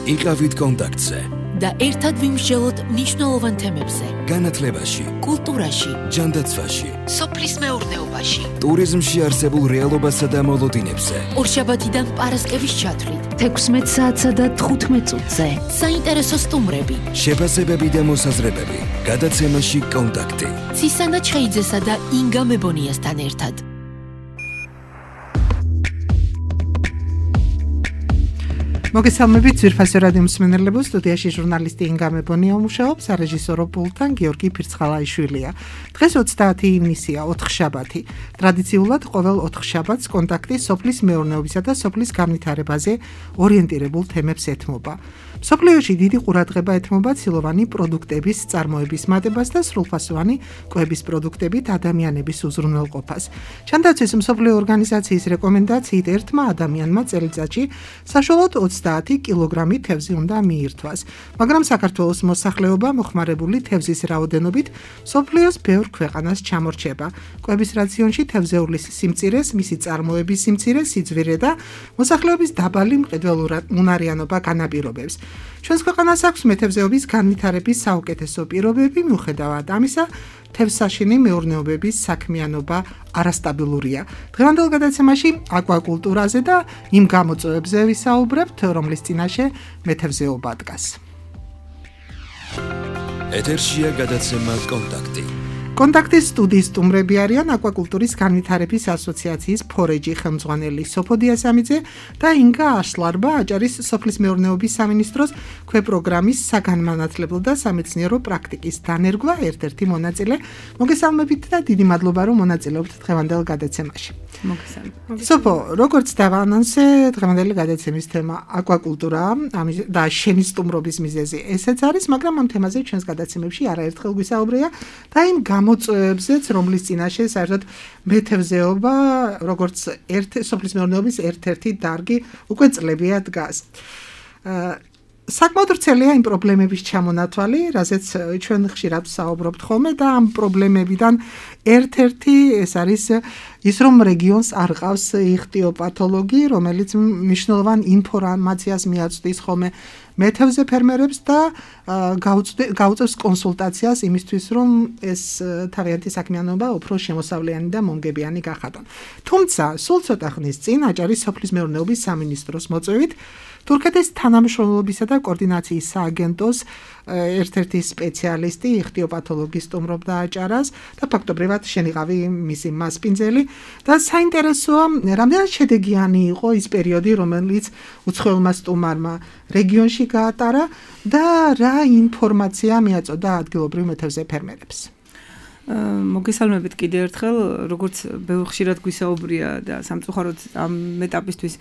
იყავით კონტაქტზე და ერთად ვიმსჯელოთ მნიშვნელოვან თემებზე. განათლებაში, კულტურაში, ჯანდაცვაში, სოფლის მეურნეობაში, ტურიზმში არსებულ რეალობასა და მოლოდინებზე. ორშაბათიდან პარასკევის ჩათვლით 16 საათსა და 15 წუთზე. საინტერესო სტუმრები, შეფასებები და მოსაზრებები. გადაცემაში კონტაქტი. ცისანა ჩხეიძესა და ინგა მებონიასთან ერთად. მოგესალმებით ძვირფასო რადიო მსმენელებო, სტუდიაში ჟურნალისტი ინგა მებონია მუშაობს, სარეჟისორო პულტთან გიორგი ფირცხალაიშვილია. დღეს 30 ივნისია, ოთხშაბათი. ტრადიციულად ყოველ ოთხშაბათს კონტაქტი სოფლის მეურნეობისა და სოფლის განვითარებაზე ორიენტირებულ თემებს ეთმობა. მსოფლიოში დიდი ყურადღება ეთმობა ცილოვანი პროდუქტების წარმოების მატებას და სრულფასოვანი კვების პროდუქტებით ადამიანების უზრუნველყოფას. ჩანდაცვის მსოფლიო ორგანიზაციის რეკომენდაციით ერთმა ადამიანმა წელიწადში საშუალოდ 30 კილოგრამი თევზი უნდა მიირთვას, მაგრამ საქართველოს მოსახლეობა მოხმარებული თევზის რაოდენობით მსოფლიოს ბევრ ქვეყანას ჩამორჩება. კვების რაციონში თევზეულის სიმწირეს, მისი წარმოების სიმწირეს, სიძვირე და მოსახლეობის დაბალი მყიდველუნარიანობა განაპირობებს. ჩვენს ქვეყანას აქვს მეთევზეობის განვითარების საუკეთესო პირობები, მიუხედავად ამისა, თევზსაშინი მეურნეობების საქმიანობა არასტაბილურია. დღევანდელ გადაცემაში აკვაკულტურაზე და იმ გამოწვევებზე ვისაუბრებთ, რომლის წინაშე მეთევზეობა დგას. ეთერშია გადაცემა კონტაქტი. კონტაქტის სტუდიის სტუმრები არიან აკვაკულტურის განვითარების ასოციაციის ფორეჯი ხელმძღვანელი სოფოდია სამიძე და ინგა აშლარბა, აჭარის სოფლის მეურნეობის სამინისტროს ქვეპროგრამის საგანმანათლებლო და სამეცნიერო პრაქტიკის დანერგვა ერთ-ერთი მონაწილე. მოგესალმებით და დიდი მადლობა, რომ მონაწილეობთ დღევანდელ გადაცემაში. მოგესალმებით. სოფო, როგორც დავაანონსე, დღევანდელი გადაცემის თემა აკვაკულტურაა და შენი სტუმრობის მიზეზი ესეც არის, მაგრამ ამ თემაზე ჩვენს გადაცემებში არაერთხელ გვისაუბრია და იმ გამოწვევებზეც, რომლის წინაშე საერთოდ მეთევზეობა, როგორც სოფლის მეურნეობის ერთ-ერთი დარგი უკვე წლებია დგას. საკმაოდ ვრცელია იმ პრობლემების ჩამონათვალი, რაზეც ჩვენ ხშირად ვსაუბრობთ ხოლმე და ამ პრობლემებიდან ერთ-ერთი ეს არის ის, რომ რეგიონს არ ყავს იხტიოპათოლოგი, რომელიც მნიშვნელოვან ინფორმაციას მიაწვდის ხოლმე მეთევზე ფერმერებს და გაუწევს კონსულტაციას იმისთვის, რომ ეს თავიანთი საქმიანობა უფრო შემოსავლიანი და მომგებიანი გახადონ. თუმცა, სულ ცოტა ხნის წინ აჭარის სოფლის მეურნეობის სამინისტროს მოწვევით თურქეთის თანამშრომლობისა და კოორდინაციის სააგენტოს ერთ-ერთი სპეციალისტი, იხტიოპათოლოგი სტუმრობდა აჭარას და ფაქტობრივად შენიღავი მისი მასპინძელი და საინტერესოა, რამდენად შედეგიანი იყო ის პერიოდი, რომელიც უცხოელმა სტუმარმა რეგიონში გაატარა და რა ინფორმაცია მიაწოდა ადგილობრივ მეთევზე ფერმერებს. მოგესალმებით კიდევ ერთხელ, როგორც ბევრ ხშირად გვისაუბრია და სამწუხაროდ ამ ეტაპისთვის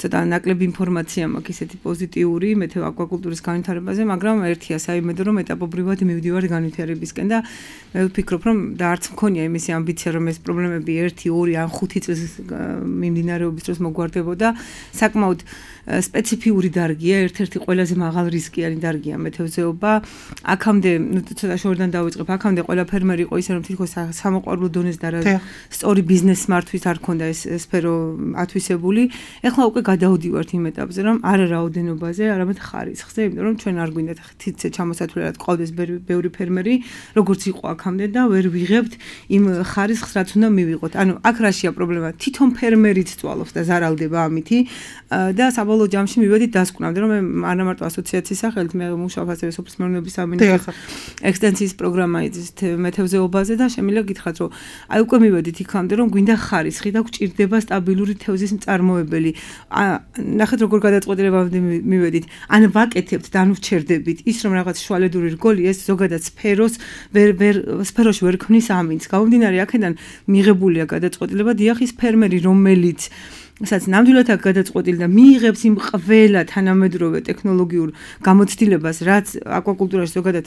ცოტა ნაკლები ინფორმაცია მაქვს ისეთი პოზიტიური აკვაკულტურის განვითარებაზე, მაგრამ ერთია საიმედო, რომ ეტაპობრივად მივდივართ განვითარებისკენ და მე ვფიქრობ, რომ და არც მქონია იმისი ამბიცია, რომ ეს პრობლემები 1, 2 ან 5 წლის მიმდინარეობის დროს მოგვარდებოდა. საკმაოდ სპეციფიური დარგია, ერთ-ერთი ყველაზე მაღალ რისკიანი დარგია მეთევზეობა. აქამდე, ცოტა შორიდან დავიწყებ, აქამდე ყველა ფერმერი იყო ისე, რომ თითქოს სამოყვარულო დონეზე და სწორი ბიზნეს მართვის არ ქონდა ეს სფერო ათვისებული. ეხლა უკვე გადავდივართ იმ ეტაპზე, რომ არა რაოდენობაზე, არამედ ხარისხზე, იმიტომ რომ ჩვენ არ გვინდათ თითზე ჩამოსათვლელად ყავდეს ბევრი ფერმერი, როგორც იყო აქამდე და ვერ ვიღებთ იმ ხარისხს, რაც უნდა მივიღოთ. ანუ აქ რაშია პრობლემა? თვითონ ფერმერიც წვალობს და ზარალდება ამითი და საბოლოო ჯამში მივედით დასკვნამდე, რომ მე არა მარტო ასოციაციის სახელით, მე მუშაობ ასევე სოფლის მეურნეობის სამინისტროს ექსტენსიის პროგრამაზე მეთევზეობაზე და შემიძლია გითხრათ, რომ აი უკვე მივედით იქამდე, რომ გვინდა ხარისხი და გვჭირდება სტაბილური თევზის მწარმოებელი. ნახეთ როგორ გადაწყვეტილებამდე მივედით. ან ვაკეთებთ და ან ვჩერდებით. ის რომ რაღაც შუალედური რგოლი ეს ზოგადად სფეროში ვერ ქმნის ამინს. გამომდინარე აქედან მიღებულია გადაწყვეტილება დიახ ის ფერმერი რომელიც სადაც ნამდვილად აქ გადაწყვეტილი და მიიღებს იმ ყველა თანამედროვე ტექნოლოგიურ გამოცდილებას, რაც აკვაკულტურაში ზოგადად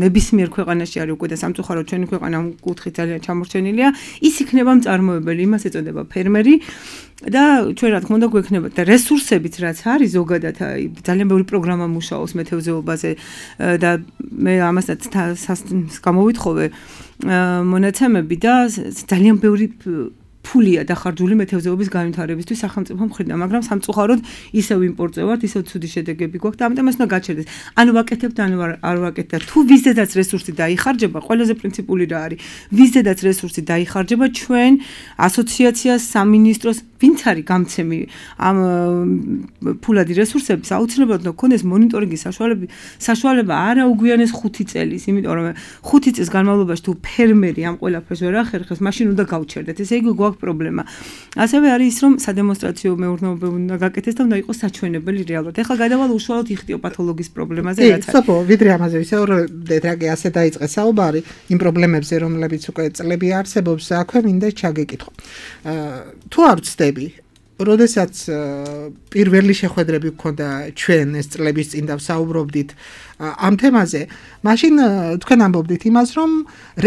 ნებისმიერ ქვეყანაში არის უკვე და სამწუხაროდ ჩვენი ქვეყანა ამ კუთხით ძალიან ჩამორჩენილია, ის იქნება მწარმოებელი, იმას ეწოდება ფერმერი და ჩვენ რა თქმა უნდა გვექნება და რესურსებით რაც არის ზოგადად ძალიან ბევრი პროგრამა მუშაობს მეთევზეობაზე და მე ამასაც გამოვითხოვე მონაცემები და ძალიან ბევრი ფულია დახარჯული მეთევზეობის განვითარებისთვის სახელმწიფო მხრიდან, მაგრამ სამწუხაროდ ისევ იმპორტზე ვართ, ისევ ცუდი შედეგები გვაქვს და ამიტომ ეს უნდა გაჩერდეს. ანუ ვაკეთებთ, ანუ არ ვაკეთებთ. თუ ვიზედაც რესურსი დაიხარჯება, ყველაზე პრინციპული რა არის? ვიზედაც რესურსი დაიხარჯება ჩვენ ასოციაციას, სამინისტროს, ვინც არის გამცემი ამ ფულადი რესურსების, აუცილებლად უნდა გქონდეს მონიტორინგის საშუალება არა უგვიანეს 5 წელის, იმიტომ რომ 5 წლის განმავლობაში თუ ფერმერი ამ ყველაფერს ვერ ახერხებს, მაშინ უნდა გავჩერდეთ. ესე იგი გვაქვს პრობლემა. ასევე არის ის, რომ სადემონსტრაციო მეურნეობა უნდა გაკეთდეს და უნდა იყოს საჩვენებელი რეალურად. ეხლა გადავალ უშუალოდ იხტიოპათოლოგიის პრობლემაზე, რაც არის. სოფო, ვიდრე ამაზე ვისაუბრეთ, რაგი ასე დაიწყეს საუბარი იმ პრობლემებზე, რომლებიც უკვე წლები არსებობს, აქვე მინდა ჩაგეკითხო. თუ არ ვცდები, როდესაც პირველი შეხვედრები გქონდა ჩვენ ეს წლების წინ და ვსაუბრობდით ამ თემაზე, მაშინ თქვენ ამბობდით იმას, რომ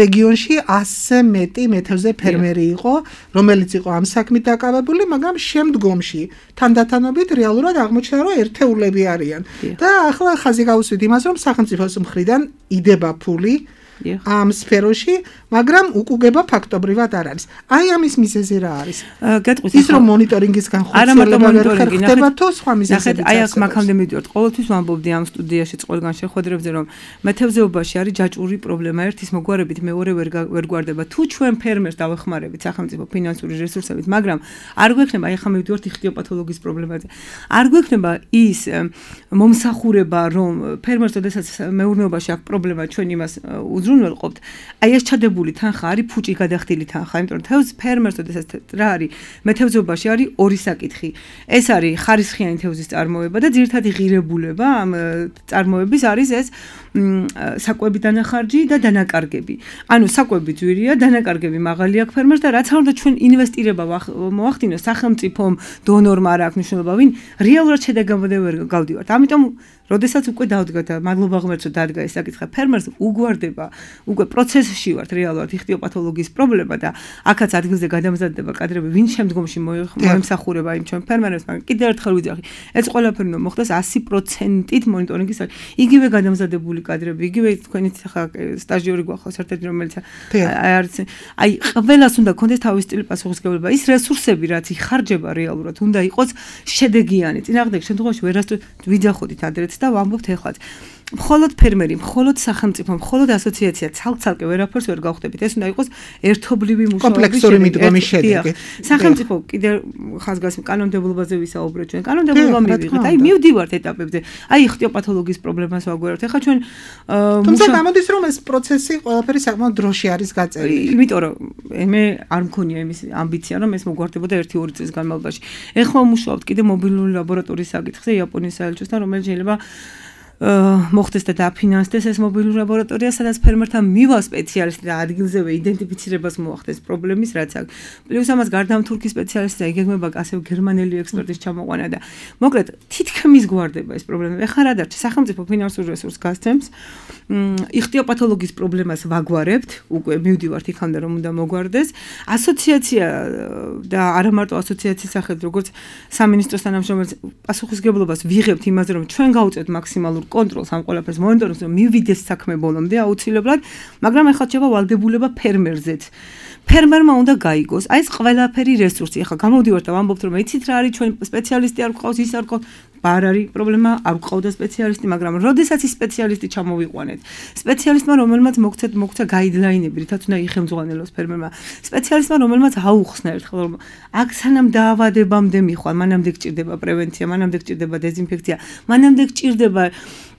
რეგიონში 100-ზე მეტი მეთევზე ფერმერი იყო, რომელიც იყო ამ საქმით დაკავებული, მაგრამ შემდგომში თანდათანობით რეალურად აღმოჩნდა, რომ ერთეულები არიან. და ახლა ხაზი გავუსვით იმას, რომ სახელმწიფოს მხრიდან იდება ფული ამ სფეროში, მაგრამ უკუგება ფაქტობრივად არ არის. აი ამის მიზეზი რა არის? ის რომ მონიტორინგის განხორციელება ვერ ხდება თუ სხვა მიზეზები. აი აქ მაგამდე მივიდივართ. ყოველთვის ვამბობდი ამ სტუდიაში ყველგან შეხვედრებზე, რომ მეთევზეობაში არის ჯაჭვური პრობლემა. ერთის მოგვარებით მეორე ვერ გვარდება. თუ ჩვენ ფერმერს დავეხმარებით სახელმწიფო ფინანსური რესურსებით, მაგრამ არ გვექნება, აი ახლა მივიდივართ იხტიოპათოლოგიის პრობლემაზე. არ გვექნება ის მომსახურება, რომ ფერმერს ოდესაც მეურნეობაში აქვს პრობლემა, ჩვენ იმას უზრუნველყოფთ. აი ეს ჩადებული თანხა არის ფუჭი გადახდილი თანხა, იმიტომ რომ თევზ ფერმერს ოდესაც რა არის? მეთევზეობაში არის ორი საკითხი. ეს არის ხარისხიანი თევზის წარმოება და ძირითადი ღირებულება ამ წარმოების არის ეს საკვები დანახარჯი და დანაკარგები. ანუ საკვები ძვირია, დანაკარგები მაღალი აქვს ფერმერს და რაც არ უნდა ჩვენ ინვესტირება მოახდინოს სახელმწიფომ, დონორმა არ აქვს მნიშვნელობა, ვინ რეალურად შედეგამდე ვერ გავდივართ. ამიტომ როდესაც უკვე დავდგა და მადლობა ღმერთს რომ დადგა ეს საკითხი, ფერმერს უგვარდება, უკვე პროცესში ვართ რეალურად იხტიოპათოლოგიის პრობლემა და აქაც ადგილზე გადამზადდება კადრები, ვინ შემდგომში მოემსახურება იმ ჩვენ ფერმერებს, მაგრამ კიდევ ერთხელ ვიძახი, ეს ყველაფერი უნდა მოხდეს 100%-ით მონიტორინგის. იგივე გადამზადებული კადრები, იგივე თქვენიც ახლა სტაჟიორი გვახავს ერთ-ერთი, რომელიც აი ყველას უნდა გქონდეს თავის სტილი პასუხისმგებლობა. ის რესურსები, რაც იხარჯება რეალურად, უნდა იყოს შედეგიანი. წინააღმდეგ შემთხვევაში ვერასდროს ვიძახოდით ადრეც და ვამბობთ ეხლაც. მხოლოდ ფერმერი, მხოლოდ სახელმწიფო, მხოლოდ ასოციაცია ცალკე ვერაფერს ვერ გავხდებით. ეს უნდა იყოს ერთობლივი მუშაობის კომპლექსური მიდგომის შედეგი. სახელმწიფო კიდევ ხაზგასმ კანონმდებლობაზე ვისაუბრეთ ჩვენ. კანონმდებლობა მივიღეთ. აი მივდივართ ეტაპებზე. აი იხტიოპათოლოგიის პრობლემას ვაგვარებთ. ეხლა ჩვენ თუმცა გამოდის რომ ეს პროცესი ყველაფერი საკმაოდ დროში არის გაწერილი. იმიტომ რომ მე არ მქონია იმის ამბიცია რომ ეს მოგვარდებოდა 1-2 წლის განმავლობაში. ეხლა ვმუშაობთ კიდევ მობილური ლაბორატორიის საკითხზე იაპონიის საელჩოსთან, რომელიც შეიძლება მოხდეს და დაფინანსდეს ეს მობილური ლაბორატორია, სადაც ფერმერთან მივა სპეციალისტი და ადგილზევე იდენტიფიცირებას მოახდეს პრობლემის, რაც აქვს. პლუს ამას გარდა თურქის სპეციალისტი ეგეგმება ასევე გერმანელი ექსპერტის ჩამოყვანა და მოკლედ თითქმის გვარდება ეს პრობლემა. ეხლა რა დარჩა? სახელმწიფო ფინანსურ რესურსს გასცემს. იხტიოპათოლოგიის პრობლემას ვაგვარებთ, უკვე მივდივართ იქამდე რომ უნდა მოგვარდეს. ასოციაცია და არა მარტო ასოციაციის სახელით, როგორც სამინისტროს თანამშრომელს პასუხისმგებლობას ვიღებთ იმაზე, რომ ჩვენ გავუწევთ მაქსიმალურ კონტროლს ამ ყველაფერს მონიტორინგს, რომ მივიდეს საქმე ბოლომდე აუცილებლად, მაგრამ ახლა შევა ვალდებულება ფერმერზეც. ფერმერმა უნდა გაიგოს, აი ეს ყველაფერი რესურსი. ახლა გამოვდივართ და ვამბობთ, რომ იცით რა არის, ჩვენ სპეციალისტი არ გვყავს, ის არ გვყავს. არ არის პრობლემა, არ გვყავდა სპეციალისტი, მაგრამ როდესაც ის სპეციალისტი ჩამოვიყვანეთ, სპეციალისტმა რომელმაც მოგცა გაიდლაინები, რითაც უნდა იხელმძღვანელოს ფერმერმა, სპეციალისტმა რომელმაც აუხსნა ერთხელ, რომ აქ სანამ დაავადებამდე მიხვალ, მანამდე გჭირდება პრევენცია, მანამდე გჭირდება დეზინფექცია, მანამდე გჭირდება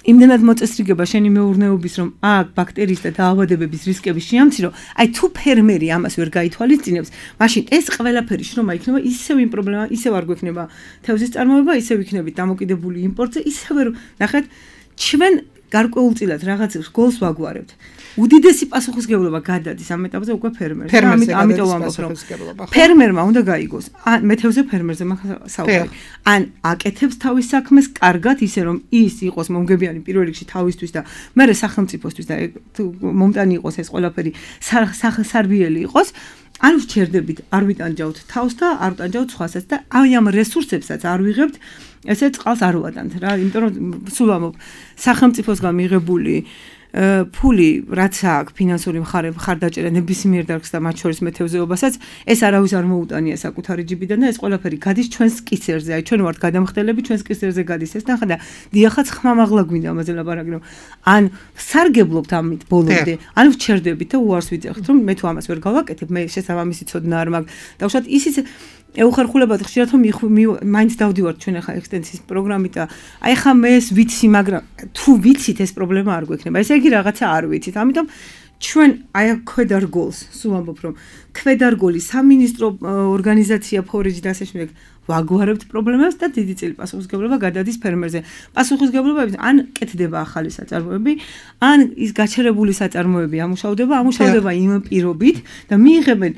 იმდენად მოწესრიგება შენი მეურნეობის, რომ აქ ბაქტერიის და დაავადებების რისკები შეამცირო, აი თუ ფერმერი ამას ვერ გაითვალისწინებს, მაშინ ეს ყველაფერი შრომა იქნება ისევ იმ პრობლემა, ისევ არ გვექნება თევზის წარმოება, ისევ იქნებით დამოკიდებული იმპორტზე, ისევ ნახეთ, ჩვენ გარკვეულწილად რაღაც გოლს ვაგვარებთ. უდიდესი პასუხისმგებლობა გადადის ამ ეტაპზე უკვე ფერმერს. ამიტომ ვამბობ, რომ ფერმერმა უნდა გაიგოს, ან მეთევზე ფერმერზე საუბარი. ან აკეთებს თავის საქმეს კარგად, ისე რომ ის იყოს მომგებიანი პირველ რიგში თავისთვის და მერე სახელმწიფოსთვის და მომტანი იყოს ეს ყველაფერი სარბიელი იყოს. არ ვჩერდებით, არ ვიტანჯავთ თავს და არ ვტანჯავთ სხვასაც და აი ამ რესურსებსაც არ ვიღებთ, ესე წყალს არ ვატანთ რა, იმიტომ რომ სულ ამობ სახელმწიფოსგან მიღებული ფული რაც აქვს ფინანსური მხარდაჭერა ნებისმიერ დარგს და მათ შორის მეთევზეობასაც ეს არავის არ მოუტანია საკუთარი ჯიბიდან და ეს ყველაფერი გადის ჩვენს კისერზე. აი ჩვენ ვართ გადამხდელები, ჩვენს კისერზე გადის ეს ნახა და დიახაც ხმამაღლა გვინდა ამაზე ლაპარაკი რომ ან სარგებლობთ ამით ბოლომდე, ან ვჩერდებით და უარს ვიძახთ რომ მე თუ ამას ვერ გავაკეთებ, მე შესაბამისი ცოდნა არ მაქვს. დავუშვათ ისიც ეუხერხულებათ ხშირად რომ მაინც დავდივართ ჩვენ ახლა ექსტენსიის პროგრამით და აი ხა მე ეს ვიცი, მაგრამ თუ ვიცით ეს პრობლემა არ გვექნება. ესე იგი რაღაცა არ ვიცით. ამიტომ ჩვენ აი ქვედარგოლს სულ ამბობ რომ ქვედარგოლი სამინისტრო ორგანიზაცია ფორეჯი და ასე შემდეგ ვაგვარებთ პრობლემებს და დიდი წილი პასუხისმგებლობა გადადის ფერმერზე. პასუხისმგებლობები ან კეთდება ახალი საწარმოები, ან ის გაჩერებული საწარმოები ამუშავდება იმ პირობით და მიიღებენ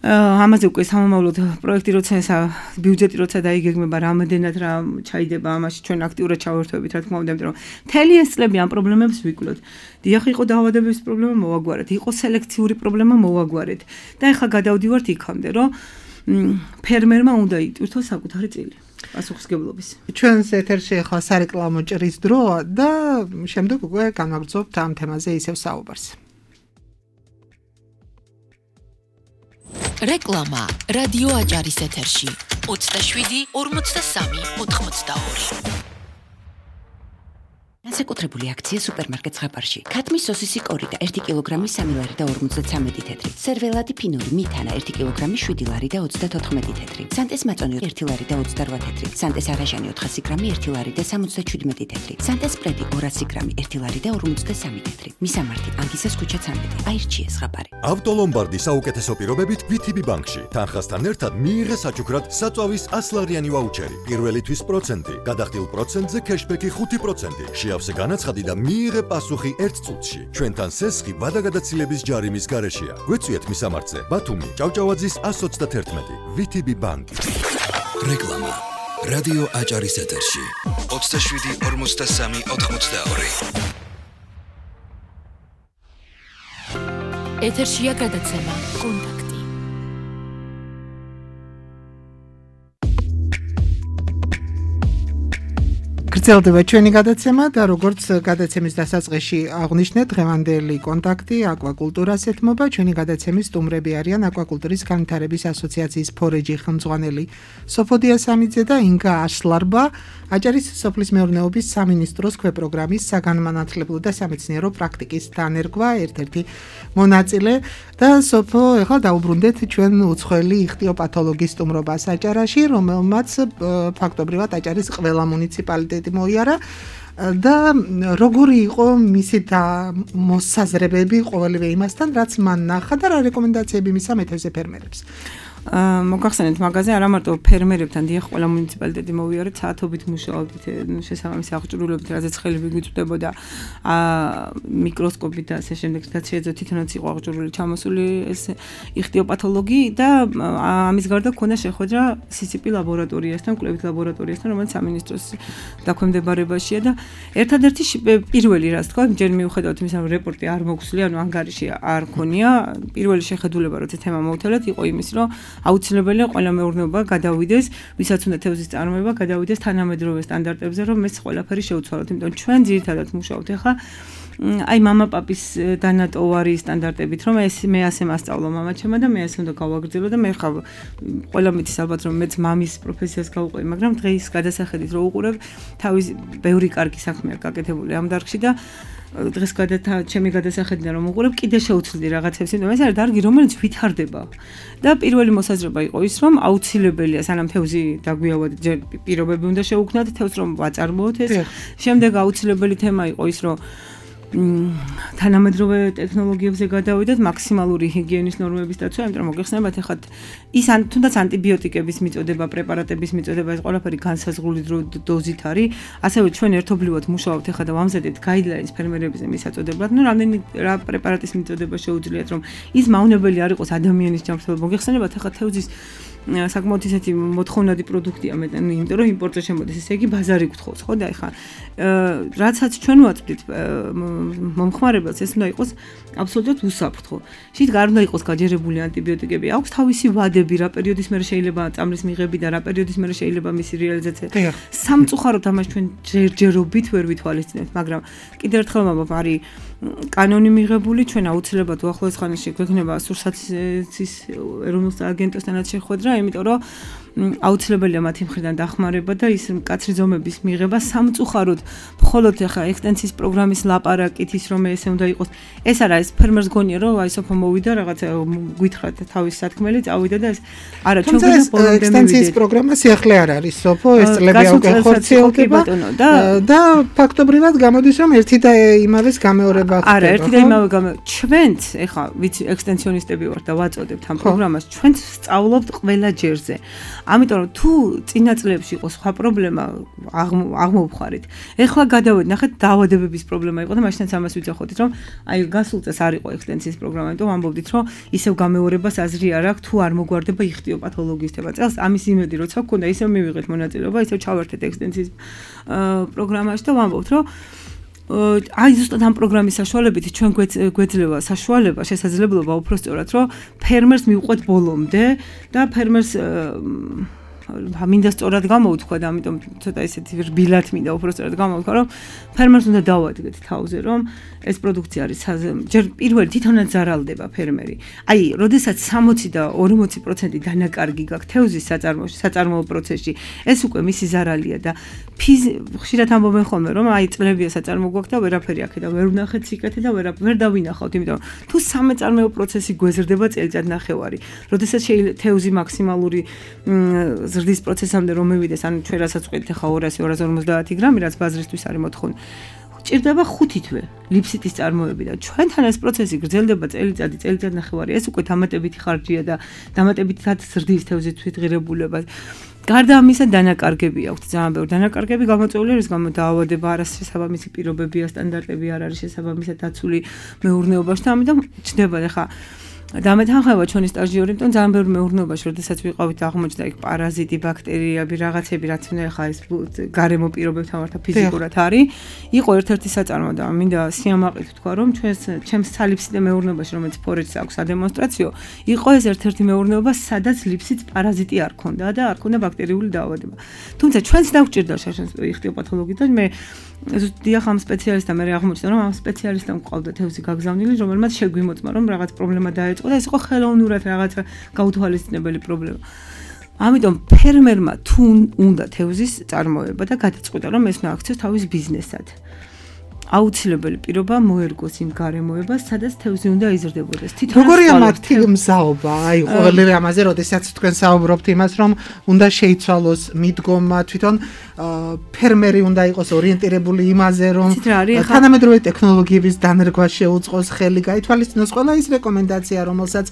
ამაზე უკვე სამომავლოდ პროექტი როცა ბიუჯეტი როცა დაიგეგმება რამდენად რა ჩაიდება ამაში ჩვენ აქტიურად ჩავერთვებით რა თქმა უნდა იმიტომ რომ მთელი ეს წლები ამ პრობლემებს ვიკვლევთ. დიახ იყო დაავადების პრობლემა მოვაგვარეთ, იყო სელექციური პრობლემა მოვაგვარეთ და ეხლა გადავდივართ იქამდე რომ ფერმერმა უნდა იტვირთოს საკუთარი წილი პასუხისმგებლობის. ჩვენს ეთერში ახლა სარეკლამო ჭრის დროა და შემდეგ უკვე განვაგრძობთ ამ თემაზე ისევ საუბარს. რეკლამა რადიო აჭარის ეთერში 27 43 82 განსაკუთრებული აქცია სუპერმარკეტ ზღაპარში. ქათმის სოსისი კორი და 1 კილოგრამი 3 ლარი და 53 თეთრი. სერველადი ფინური მითანა 1 კილოგრამი 7 ლარი და 34 თეთრი. სანტეს მაწონი 1 ლარი და 28 თეთრი. სანტეს აღაშანი 400 გრამი 1 ლარი და 77 თეთრი. სანტეს სპრედი 200 გრამი 1 ლარი და 53 თეთრი. მისამართი ანგისას ქუჩა 13. აირჩიე ზღაპარი. ავტოლომბარდი საუკეთესო პირობებით VTB ბანკში. თანხასთან ერთად მიიღე საჩუქრად საწვავის 100 ლარიანი ვაუჩერი. პირველი თვის პროცენტი, გადახდილ პროცენტზე კეშბექი 5%. შეავსე განაცხადი და მიიღე პასუხი 1 წუთში. ჩვენთან სესხი ვადაგადაცილების ჯარიმის გარეშეა. გვეწვიეთ მისამართზე. ბათუმი, ჭავჭავაძის 131. VTB ბანკი. რეკლამა რადიო აჭარის ეთერში 27 43 82 ეთერშია გადაცემა კონტაქტი. გრძელდება ჩვენი გადაცემა და როგორც გადაცემის დასაწყისში აღვნიშნეთ, დღევანდელი კონტაქტი აკვაკულტურას ეთმობა. ჩვენი გადაცემის სტუმრები არიან აკვაკულტურის განვითარების ასოციაციის ფორეჯი ხელმძღვანელი სოფოდია სამიძე და ინგა აშლარბა, აჭარის სოფლის მეურნეობის სამინისტროს ქვეპროგრამის საგანმანათლებლო და სამეცნიერო პრაქტიკის დანერგვა ერთ-ერთი მონაწილე და სოფო ეხლა დაუბრუნდეთ ჩვენ უცხოელი იხტიოპათოლოგის სტუმრობას აჭარაში, რომელმაც ფაქტობრივად აჭარის ყველა მუნიციპალიტეტი მოიარა და როგორი იყო მისი მოსაზრებები ყოველივე იმასთან, რაც მან ნახა და რა რეკომენდაციები მისცა მეთევზე ფერმერებს. მოგახსენეთ მაგაზე არა მარტო ფერმერებთან დიახ ყველა მუნიციპალიტეტი მოვიარეთ საათობით მუშაობდით შესაბამისი აღჭურვილობით რაზეც ხელი ვიგვიწვდებოდა მიკროსკოპით და ასე შემდეგ და შეეძლო თვითონაც იყო აღჭურვილი ჩამოსული ეს იხტიოპათოლოგი და ამის გარდა ქონდა შეხვედრა CCP ლაბორატორიასთან, კვლევით ლაბორატორიასთან, რომელიც სამინისტროს დაქვემდებარებაშია და ერთადერთი პირველი რაც თქვა, ჯერ მიუხედავად იმისა, რომ რეპორტი არ მოგხსნია, ანუ ანგარიში არ ქონია, პირველი შეხედულება როცა თემა მოვთელეთ იყო იმის, რომ აუცილებელია ყველა მეურნეობა გადავიდეს, ვისაც უნდა თევზის წარმოება, გადავიდეს თანამედროვე სტანდარტებზე, რომ ეს ყველაფერი შეუცვალოთ. იმიტომ ჩვენ ძირითადად მუშაობთ ახლა აი მამაპაპის დანატოვარი სტანდარტებით, რომ ეს მე ასე მასწავლო მამაჩემმა და მე ასე უნდა გავაგრძელო და მე ხავ ყველა მითის ალბათ რომ მეც მამის პროფესიას გავუყევი, მაგრამ დღეს გადასახედით რო უყურებ, თავის ბევრი კარგი საქმეა გაკეთებული ამ დარგში და დღეს ჩემი გადასახედიდან რომ უყურებ, კიდე შეუცვლი რაღაცებს, იმიტომ ეს არის დარგი, რომელიც ვითარდება. და პირველი მოსაზრება იყო ის, რომ აუცილებელია სანამ თევზი დაგვიავად, ჯერ პირობები უნდა შევუქმნათ თევზს რომ ვაწარმოოთ ეს. შემდეგ აუცილებელი თემა იყო ის, რომ თანამედროვე ტექნოლოგიებზე გადავიდეთ, მაქსიმალური ჰიგიენის ნორმების დაცვა, იმიტომ რომ მოგეხსენებათ ახლა ის თუნდაც ანტიბიოტიკების მიწოდება, პრეპარატების მიწოდება, ეს ყველაფერი განსაზღვრული დოზით არის. ასევე ჩვენ ერთობლივად მუშაობთ ახლა და ვამზადეთ გაიდლაინს ფერმერებზე მისაწოდებლად, რამდენი რა პრეპარატის მიწოდება შეუძლიათ, რომ ის მავნებელი არ იყოს ადამიანის ჯანმრთელობა. მოგეხსენებათ ახლა თევზის საკმაოდ ისეთი მოთხოვნადი პროდუქტია მე, იმიტომ რომ იმპორტზე შემოდის, ესე იგი ბაზარი გთხოვს, ხო და ეხლა რაცაც ჩვენ ვაწვდით მომხმარებელს, ეს უნდა იყოს აბსოლუტურად უსაფრთხო. შით არ უნდა იყოს გაჯერებული ანტიბიოტიკები, აქვს თავისი ვადები, რა პერიოდის მერე შეიძლება წამლის მიღები და რა პერიოდის მერე შეიძლება მისი რეალიზაცია. სამწუხაროდ ამას ჩვენ ჯერჯერობით ვერ ვითვალისწინებთ, მაგრამ კიდევ ერთხელ მოგობ არის კანონი მიღებული, ჩვენ აუცილებლად უახლოეს ხანაში გვექნება სურსათის ეროვნულ აგენტოსთანაც შეხვედრა, იმიტომ რომ აუცილებელია მათი მხრიდან დახმარება და ის მკაცრი ზომების მიღება სამწუხაროდ მხოლოდ ახლა ექსტენსიის პროგრამის ლაპარაკით ის რომ ესე უნდა იყოს ეს არა ეს ფერმერს გონია რომ აი სოფო მოვიდა რაღაცა გითხრათ თავის სათქმელი წავიდა და ეს არა ჩვენ გვინდა ექსტენსიის პროგრამა სიახლე არ არის სოფო ეს წლები უკვე ხორციელდება და ფაქტობრივად გამოდის რომ ერთი და იმავეს გამეორება ხდება არა ერთი და იმავე ჩვენც ახლა ვიცი ექსტენსიონისტები ვართ და ვაწოდებთ ამ პროგრამას ჩვენც სწავლობთ ყველა ჯერზე ამიტომ რომ თუ წინა წლებში იყო სხვა პრობლემა აღმოვხარით. ეხლა გადავედი, ნახეთ დაავადებების პრობლემა იყო და მაშინაც ამას ვიძახოდით, რომ აი გასულ წელს არ იყო ექსტენსიის პროგრამა, იმიტომ ამბობდით, რომ ისევ გამეორებას აზრი არ აქვს, თუ არ მოგვარდება იხტიო პათოლოგისტება. წელს ამის იმედი როცა გქონდა, ისევ მივიღეთ მონაწილეობა, ისევ ჩავერთეთ ექსტენსიის პროგრამაში და ვამბობთ, რომ აი ზუსტად ამ პროგრამის საშუალებით ჩვენ გვეძლევა საშუალება, შესაძლებლობა უფრო სწორად, რომ ფერმერს მივყვეთ ბოლომდე და ფერმერს მინდა სწორად გამოვთქვა და ამიტომ ცოტა ისეთი რბილად მინდა უფრო სწორად გამოვთქვა, რომ ფერმერს უნდა დავადგეთ თავზე, რომ ეს პროდუქცია არის ჯერ პირველი თვითონაც ზარალდება ფერმერი. აი, როდესაც 60 და 40% დანაკარგი გაქვს თევზის საწარმოო პროცესში, ეს უკვე მისი ზარალია და ხშირად ამბობენ ხოლმე, რომ აი წლებია საწარმო გვაქვს და ვერაფერი აქედა ვერ ვნახეთ სიკეთე და ვერ დავინახავთ, იმიტომ რომ თუ სამეწარმეო პროცესი გვეზრდება წელიწად ნახევარი, როდესაც თევზი მაქსიმალური ზრდის პროცესამდე რომ მივიდეს, ანუ ჩვენ რასაც ვყიდით ახლა 200-250 გრამი, რაც ბაზრისთვის არის მოთხოვნა. ჭირდება 5 თვე ლიფსიტის წარმოები და ჩვენთან ეს პროცესი გრძელდება წელიწად ნახევარი. ეს უკვე დამატებითი ხარჯია და დამატებითი ზრდის თევზის თვითღირებულება. გარდა ამისა დანაკარგები აქვს ძალიან ბევრი დანაკარგები გამოწვეული რის გამო დაავადება არასშესაბამისი პირობებია სტანდარტები არ არის შესაბამისად დაცული მეურნეობაში და ამიტომ ჩნდება ახლა დამეთანხმება ჩვენი სტაჟიორი, იმიტომ ძალიან ბევრი მეურნეობაში, როდესაც ვიყავით აღმოჩნდა იქ პარაზიტი, ბაქტერიები, რაღაცები, რაც უნდა ახლა ეს გარემო პირობებთან ვართ ფიზიკურად არის. იყო ერთ-ერთი საწარმო და მინდა სიამაყით თქვა, რომ ჩემს სალიფსიტე მეურნეობაში, რომელიც ფორეჯს აქვს ადემონსტრაციო, იყო ეს ერთ-ერთი მეურნეობა, სადაც ლიფსიტს პარაზიტი არ ქონდა და არ ქონდა ბაქტერიული დაავადება. თუმცა ჩვენც დაგვჭირდა შაშანს იხტიო პათოლოგი და მე დიახ ამ სპეციალისტთან მე აღმოჩნდა, რომ ამ სპეციალისტთან ყავდა თევზი გაგზავნილი, რომელმაც შეგვიმოწმა, რომ რაღაც პრობლემა დაეწყო და ეს იყო ხელოვნურად რაღაცა გაუთვალისწინებელი პრობლემა. ამიტომ ფერმერმა თუ უნდა თევზის წარმოება და გადაწყვიტა, რომ ეს უნდა აქციოს თავის ბიზნესად. აუცილებელი პირობა მოერგოს იმ გარემოებას, სადაც თევზი უნდა იზრდებოდეს. როგორია მათი მზაობა? აი, ყოველივე ამაზე, როდესაც თქვენ საუბრობთ იმას, რომ უნდა შეიცვალოს მიდგომა, თვითონ ფერმერი უნდა იყოს ორიენტირებული იმაზე, რომ თანამედროვე ტექნოლოგიების დანერგვა შეუწყოს ხელი, გაითვალისწინოს ყველა ის რეკომენდაცია, რომელსაც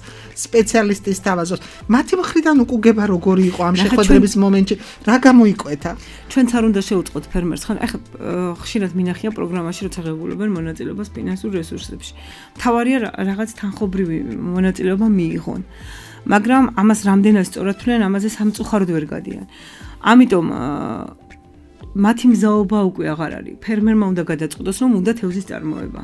სპეციალისტი სთავაზობს. მათი მხრიდან უკუგება როგორი იყო ამ შეხვედრების მომენტში? რა გამოიკვეთა? ჩვენც არ უნდა შევუწყოთ ფერმერს, ხან ახლა ხშირად მინახია პროგრამაში ცაღებულებენ მონაწილეობას ფინანსურ რესურსებში. მთავარია რაღაც თანხობრივი მონაწილეობა მიიღონ. მაგრამ ამას რამდენად სწორად თვლიან, ამაზე სამწუხაროდ ვერ გადიან. ამიტომ მათი მზაობა უკვე აღარ არის. ფერმერმა უნდა გადაწყვიტოს, რომ უნდა თევზის წარმოება.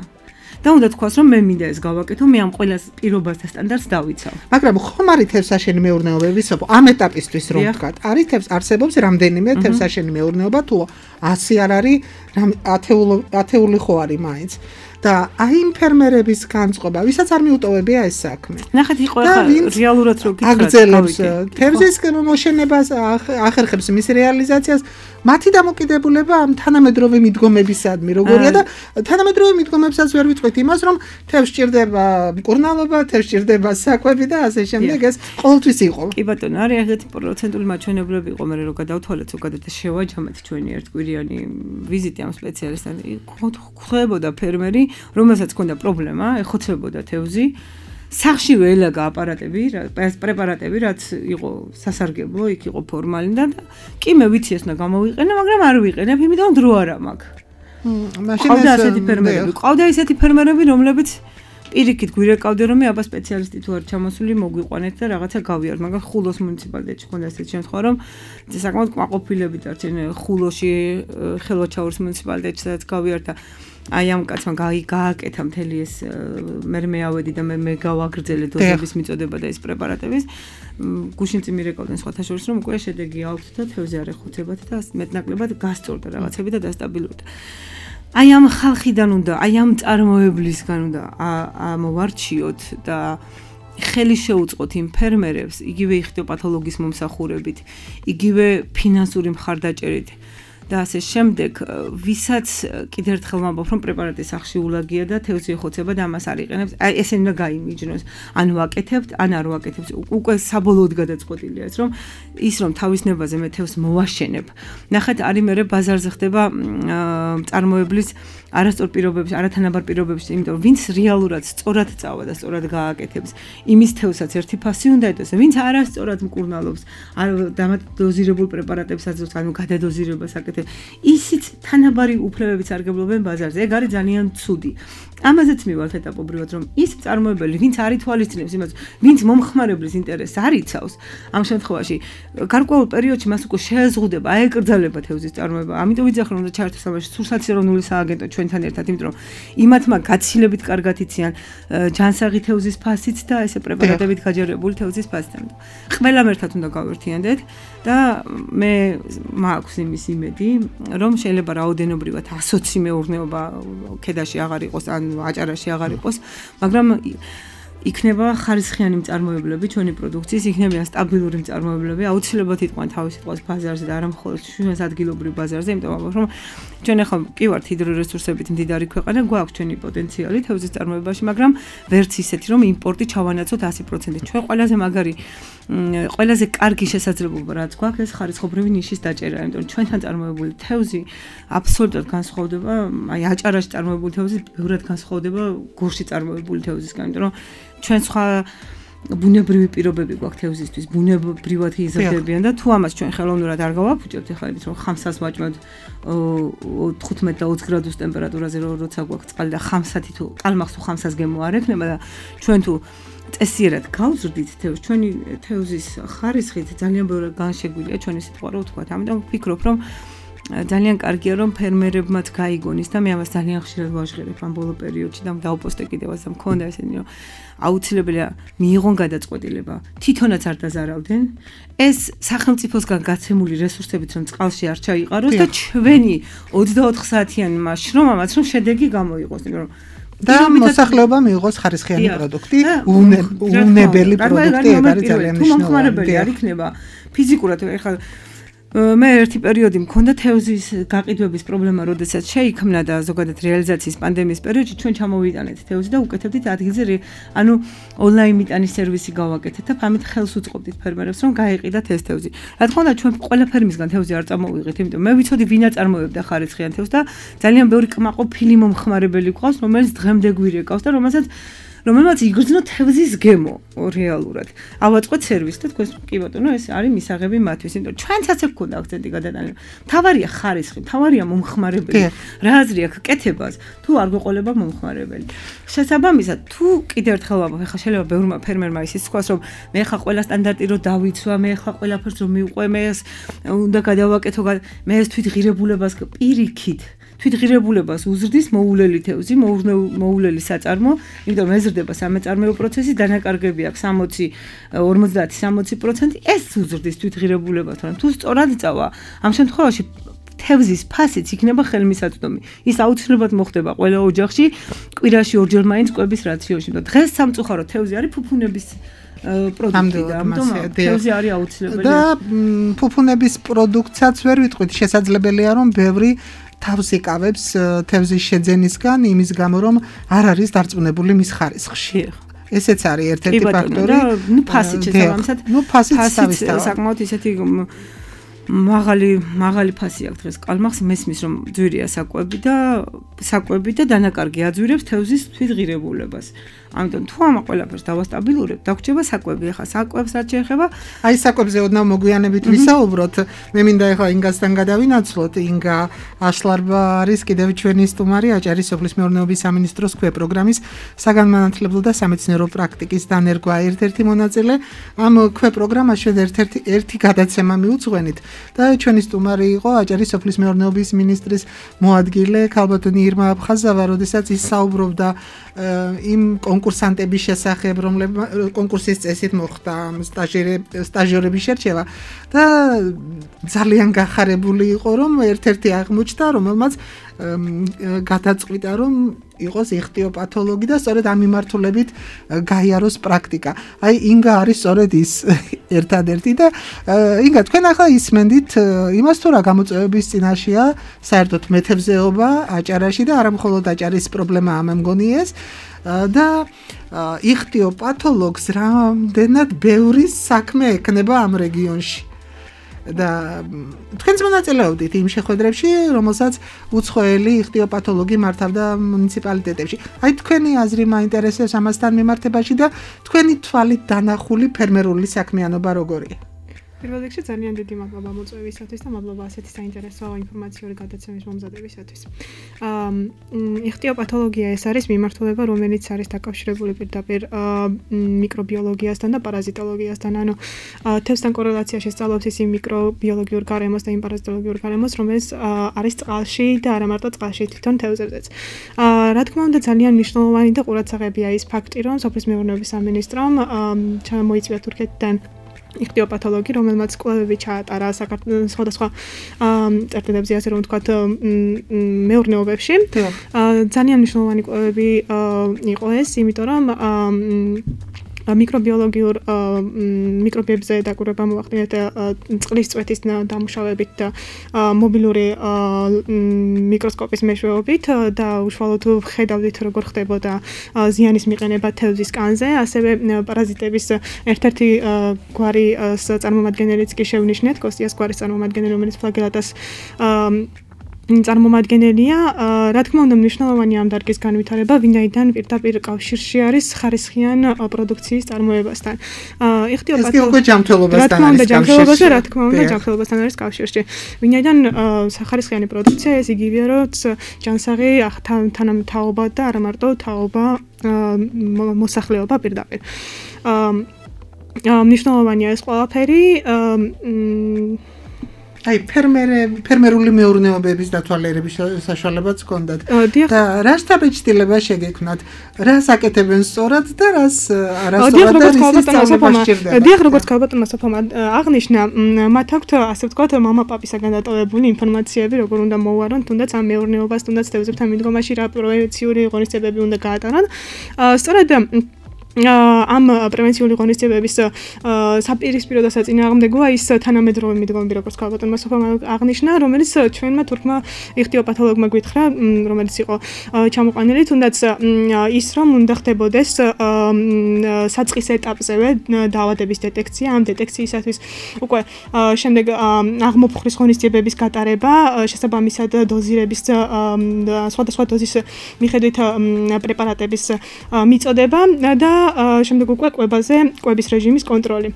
და უნდა თქვას, რომ მე მინდა ეს გავაკეთო, მე ამ ყველა პირობას და სტანდარტს დავიცავ. მაგრამ ხომ არის თევზსაშენი მეურნეობები, ამ ეტაპისთვის რომ ვთქვათ, არის არსებობს რამდენიმე თევზსაშენი მეურნეობა, თუ 100 არ არის, 10 ხო არის მაინც. და აი იმ ფერმერების განწყობა, ვისაც არ მიუტოვებია ეს საქმე. ნახეთ, იყო ახლა რეალურად რო გითხრათ, აგრძელებს თევზის მოშენებას, ახერხებს მის რეალიზაციას, მათი დამოკიდებულება ამ თანამედროვე მიდგომებისადმი როგორია და თანამედროვე მიდგომებსაც ვერ ვიტყვით იმას, რომ თევზს ჭირდება მკურნალობა, თევზს ჭირდება საკვები და ასე შემდეგ ეს ყოველთვის იყო. კი ბატონო, არის ეგეთი პროცენტული მაჩვენებლები იყო, მე რო გადავთვალეთ ზოგადად და შევაჯამეთ ჩვენი ერთკვირიანი ვიზიტი ამ სპეციალისტთან. ხვდებოდა ფერმერი, რომელსაც ჰქონდა პრობლემა, ეხოცებოდა თევზი. სახში ველაგა აპარატები, პრეპარატები, რაც იყო სასარგებლო, იქ იყო ფორმალინი და კი მე ვიცი ეს უნდა გამოვიყენო, მაგრამ არ ვიყენებ, იმიტომ დრო არა მაქვს. მაშინ ესეთი ფერმერები, ყავდა ისეთი ფერმერები, რომლებიც პირიქით გვირეკავდე რომ აბა სპეციალისტი თუ არ ჩამოსული მოგვიყვანეთ და რაღაცა გავიართ, მაგრამ ხულოს მუნიციპალიტეტში ხონდა ესეთი შემთხვევა რომ საკმაოდ კმაყოფილები დარჩენ ხულოში ხელვაჩაურის მუნიციპალიტეტში სადაც გავიართ და აი ამ კაცმა გააკეთა მთელი ეს მე მეავედი და მე გავაგრძელე დოზების მიწოდება და ეს პრეპარატების გუშინ წინ მირეკავდნენ სხვათა შორის რომ უკვე შედეგი აქვთ და თევზი არ ეხუცებათ და მეტნაკლებად გასწორდა რაღაცები და დასტაბილურდა. აი ამ ხალხიდან უნდა, აი ამ წარმოებლისგან უნდა ამოვარჩიოთ და ხელი შეუწყოთ იმ ფერმერებს, იგივე იხტიოპათოლოგის მომსახურებით, იგივე ფინანსური მხარდაჭერით და ასე შემდეგ, ვისაც კიდევ ერთხელ ვამბობ, რომ პრეპარატი სახშიულაგია და თევზი ეხოცება და ამას არ იყენებს, აი ესენი უნდა გაიმიჯნოს. ან ვაკეთებთ, ან არ ვაკეთებთ. უკვე საბოლოოდ გადაწყვეტილია ეს, რომ ის რომ თავის ნებაზე მე თევზს მოვაშენებ. ნახეთ, არის მერე ბაზარზე ხდება წარმოებლის არასწორ პირობებში, არათანაბარ პირობებში, იმიტომ რომ ვინც რეალურად სწორად წავა და სწორად გააკეთებს, იმის თევზსაც ერთი ფასი უნდა ეტოს. ვინც არასწორად მკურნალობს, არ დამადოზირებულ პრეპარატებს აძლევს, ანუ გადადოზირებას აკეთებს. ისიც თანაბარი უფლებებით სარგებლობენ ბაზარზე. ეგ არის ძალიან ცუდი. ამაზეც მივალთ ეტაპობრივად, რომ ის წარმოებელი, ვინც არ ითვალისწინებს იმას, ვინც მომხმარებლის ინტერესს არ იცავს, ამ შემთხვევაში გარკვეულ პერიოდში მას უკვე შეეზღუდება, აეკრძალება თევზის წარმოება. ამიტომ ვიძახ რომ უნდა ჩაერთოს ამაში სურსათი ეროვნული სააგენტო ჩვენთან ერთად, იმიტომ რომ იმათმა გაცილებით კარგად იციან ჯანსაღი თევზის ფასიც და ესე პრეპარატებით გაჯერებული თევზის ფასიც. ყველამ ერთად უნდა გავერთიანდეთ და მე მაქვს იმის იმედი, რომ შეიძლება რაოდენობრივად 120 მეურნეობა ქედაში აღარ იყოს ან აჭარაში აღარ იყოს, მაგრამ იქნება ხარისხიანი მწარმოებლები ჩვენი პროდუქციის, იქნებიან სტაბილური მწარმოებლები, აუცილებლად იტყვიან თავის სიტყვას ბაზარზე და არა მხოლოდ ჩვენს ადგილობრივ ბაზარზე, იმიტომ რომ ჩვენ ახლა კი ვართ ჰიდრორესურსებით მდიდარი ქვეყანა, გვაქვს ჩვენი პოტენციალი თევზის წარმოებაში, მაგრამ ვერც ისეთი, რომ იმპორტი ჩავანაცოთ 100%. ჩვენ ყველაზე კარგი შესაძლებლობა რაც გვაქვს, ეს ხარისხობრივი ნიშის დაჭერა, იმიტომ რომ ჩვენთან წარმოებული თევზი აბსოლუტურად განსხვავდება, აი აჭარაში წარმოებული თევზი ბევრად განსხვავდება გორში წარმოებული თევზისგან, იმიტომ რომ ჩვენ სხვა ბუნებრივი პირობები გვაქვს თევზისთვის, ბუნებრივად იზრდებიან და თუ ამას ჩვენ ხელოვნურად არ გავაფუჭებთ, ეხლა იცით რომ ხამსას ვაჭმევთ 15 და 20 გრადუს ტემპერატურაზე როცა გვაქვს წყალი და ხამსათი თუ ყალმახს თუ ხამსას გემო არ ექნება და ჩვენ თუ წესიერად გავზრდით თევზს, ჩვენი თევზის ხარისხით ძალიან ბევრი განშეგვილია ჩვენი სიტყვა რო ვთქვათ. ამიტომ ვფიქრობ რომ ძალიან კარგია რომ ფერმერებმაც გაიგონეს და მე ამას ძალიან ხშირად ვაჟღერებ ამ ბოლო პერიოდში და დავპოსტე კიდევაც და მქონდა ესენი რომ აუცილებელია მიიღონ გადაწყვეტილება თვითონაც არ დაზარავდნენ ეს სახელმწიფოსგან გაცემული რესურსებით რომ წყალში არ ჩაიყაროს და ჩვენი 24 საათიანი შრომამაც რომ შედეგი გამოიღოს რომ და მოსახლეობა მიიღოს ხარისხიანი პროდუქტი, უნებელი პროდუქტი, ეგ არის ძალიან მნიშვნელოვანი. თუ მომხმარებელი არ იქნება ფიზიკურად ეხლა მე ერთი პერიოდი მქონდა თევზის გაყიდვების პრობლემა, როდესაც შეიქმნა და ზოგადად რეალიზაციის პანდემიის პერიოდში ჩვენ ჩამოვიტანეთ თევზი და უკეთებდით ადგილზე, ანუ ონლაინ მიტანის სერვისი გავაკეთეთ და ამით ხელს უწყობდით ფერმერებს, რომ გაეყიდათ ეს თევზი. რა თქმა უნდა, ჩვენ ყველა ფერმისგან თევზი არ წამოვიღეთ, იმიტომ მე ვიცოდი ვინ აწარმოებდა ხარისხიან თევზს და ძალიან ბევრი კმაყოფილი მომხმარებელი გვყავს, რომელიც დღემდე გვირეკავს და რომელმაც იგრძნო თევზის გემო რეალურად. ავაწყოთ სერვისი და თქვენ კი ბატონო, ეს არის მისაღები მათთვის, იმიტომ რომ ჩვენცაც აქ გქონდა აქცენტი გადატანილი. თავარია ხარისხი, თავარია მომხმარებელი. რა აზრი აქვს კეთებას, თუ არ გვეყოლება მომხმარებელი. შესაბამისად, თუ კიდევ ერთხელ ვამბობ, ხა შეიძლება ბევრმა ფერმერმა ისიც თქვას, რომ მე ხა ყველა სტანდარტი რო დავიცვა, მე ხა ყველაფერს რომ მივყვე, მე ეს უნდა გადავაკეთო, მე ეს თვითღირებულებას პირიქით თვითღირებულებას უზრდის მოულელი თევზი, მოულელი საწარმო, იმიტომ ეზრდება სამეწარმეო პროცესი, დანაკარგები აქვს 50-60%, ეს უზრდის თვითღირებულებას, მაგრამ თუ სწორად წავა, ამ შემთხვევაში თევზის ფასიც იქნება ხელმისაწვდომი. ის აუცილებლად მოხდება ყველა ოჯახში, კვირაში ორჯერ მაინც კვების რაციონში. დღეს სამწუხაროდ თევზი არის ფუფუნების პროდუქტი და ამიტომ თევზი არის აუცილებელი. და ფუფუნების პროდუქტსაც ვერ ვიტყვით, შესაძლებელია რომ ბევრი თავს იკავებს თევზის შეძენისგან იმის გამო რომ არ არის დარწმუნებული მის ხარისხში. ესეც არის ერთ-ერთი ფაქტორი. ნუ ფასიც შესაბამისად. ნუ ფასიც საკმაოდ ისეთი მაღალი ფასი აქვს დღეს კალმახს მესმის რომ ძვირია საკვები და დანაკარგი აძვირებს თევზის თვითღირებულებას. ამიტომ თუ ამ ყველაფერს დავასტაბილურებ, დაგვრჩება საკვები. ახლა საკვებს რაც შეეხება, აი საკვებზე ოდნავ მოგვიანებით ვისაუბროთ. მე მინდა ახლა ინგასთან გადავინაცვლოთ. ინგა აშლარბა არის კიდევ ჩვენი სტუმარი, აჭარის სოფლის მეურნეობის სამინისტროს ქვე პროგრამის საგანმანათლებლო და სამეცნიერო პრაქტიკის დანერგვა ერთ-ერთი მონაწილე. ამ ქვე პროგრამაში ერთ-ერთი გადაცემა მიუძღვენით და ჩვენი სტუმარი იყო აჭარის სოფლის მეურნეობის მინისტრის მოადგილე ქალბატონი ირმა აფხაზავა, როდესაც ის საუბრობდა იმ კონკურსანტების შესახებ, რომლებმა კონკურსის წესით მოხდა სტაჟიორების შერჩევა და ძალიან გახარებული იყო, რომ ერთ-ერთი აღმოჩნდა, რომელმაც გადაწყვიტა, რომ იყოს იხტიოპათოლოგი და სწორედ ამ მიმართულებით გაიაროს პრაქტიკა. აი ინგა არის სწორედ ის ერთადერთი და ინგა თქვენ ახლა ისმენდით იმას თუ რა გამოწვევების წინაშეა საერთოდ მეთევზეობა აჭარაში და არა მხოლოდ აჭარის პრობლემაა მე მგონი ეს და იხტიოპათოლოგს რამდენად ბევრი საქმე ექნება ამ რეგიონში. და თქვენც მონაწილეობდით იმ შეხვედრებში, რომელსაც უცხოელი იხტიოპათოლოგი მართავდა მუნიციპალიტეტებში. აი თქვენი აზრი მაინტერესებს ამასთან მიმართებაში და თქვენი თვალით დანახული ფერმერული საქმიანობა როგორია? პირველ რიგში ძალიან დიდი მადლობა მოწვევისათვის და მადლობა ასეთი საინტერესო ინფორმაციური გადაცემის მომზადებისათვის. იხტიოპათოლოგია ეს არის მიმართულება, რომელიც არის დაკავშირებული პირდაპირ მიკრობიოლოგიასთან და პარაზიტოლოგიასთან. ანუ თევზთან კორელაციაში სწავლობს ის იმ მიკრობიოლოგიურ გარემოს და იმ პარაზიტოლოგიურ გარემოს, რომელიც არის წყალში და არა მარტო წყალში, თვითონ თევზებზეც. რა თქმა უნდა, ძალიან მნიშვნელოვანი და ყურადსაღებია ის ფაქტი, რომ სოფლის მეურნეობის სამინისტრომ ჩამოიწვია თურქეთიდან იხტიოპათოლოგი, რომელმაც კვლევები ჩაატარა სხვადასხვა წერტილებზე, ასე რომ ვთქვათ, მეურნეობებში. ძალიან მნიშვნელოვანი კვლევები იყო ეს, იმიტომ რომ მიკრობიებზე დაკვირვება მოახდინეთ წყლის წვეთის დამუშავებით და მობილური მიკროსკოპის მეშვეობით და უშუალოდ ხედავდით როგორ ხდებოდა ზიანის მიყენება თევზის კანზე, ასევე პარაზიტების ერთ-ერთი გვარის წარმომადგენელიც კი შევნიშნეთ, კოსტიას გვარის წარმომადგენელი, რომელიც ფლაგელატას წარმომადგენელია. რა თქმა უნდა, მნიშვნელოვანი ამ დარგის განვითარება, ვინაიდან პირდაპირ კავშირში არის ხარისხიან პროდუქციის წარმოებასთან. იხტიოპათოლოგია რა თქმა უნდა, ჯანმრთელობასთან არის კავშირში. ვინაიდან ხარისხიანი პროდუქცია ეს იგივეა, როგორც ჯანსაღი თანამთავობა და არა მარტო თაობა მოსახლეობა პირდაპირ. მნიშვნელოვანია ეს ყველაფერი. აი ფერმერული მეურნეობების დათვალიერების საშუალებაც ჰქონდათ და რა შთაბეჭდილება შეგექმნათ, რას აკეთებენ სწორად და რას არასწორად და რის სწავლება სჭირდება. დიახ, როგორც ქალბატონმა სოფლმა აღნიშნა, მათ აქვთ ასე ვთქვათ მამა-პაპისაგან დატოვებული ინფორმაციები, როგორ უნდა მოუარონ თუნდაც ამ მეურნეობას, თუნდაც თევზებთან მიდგომაში რა პრევენციული ღონისძიებები უნდა გაატარონ. სწორედ ამ პრევენციული ღონისძიებების საპირისპირო და საწინააღმდეგოა ის თანამედროვე მიდგომები, როგორც ქალბატონმა სოფლმა აღნიშნა, რომელიც ჩვენმა თურქმა იხტიოპათოლოგმა გვითხრა, რომელიც იყო ჩამოყვანილი, თუნდაც ის რომ უნდა ხდებოდეს საწყის ეტაპზევე დაავადების დეტექცია, ამ დეტექციისათვის უკვე შემდეგ აღმოფხრის ღონისძიებების გატარება, შესაბამისად დოზირების სხვადასხვა დოზის მიხედვით პრეპარატების მიწოდება და შემდეგ უკვე კვების რეჟიმის კონტროლი.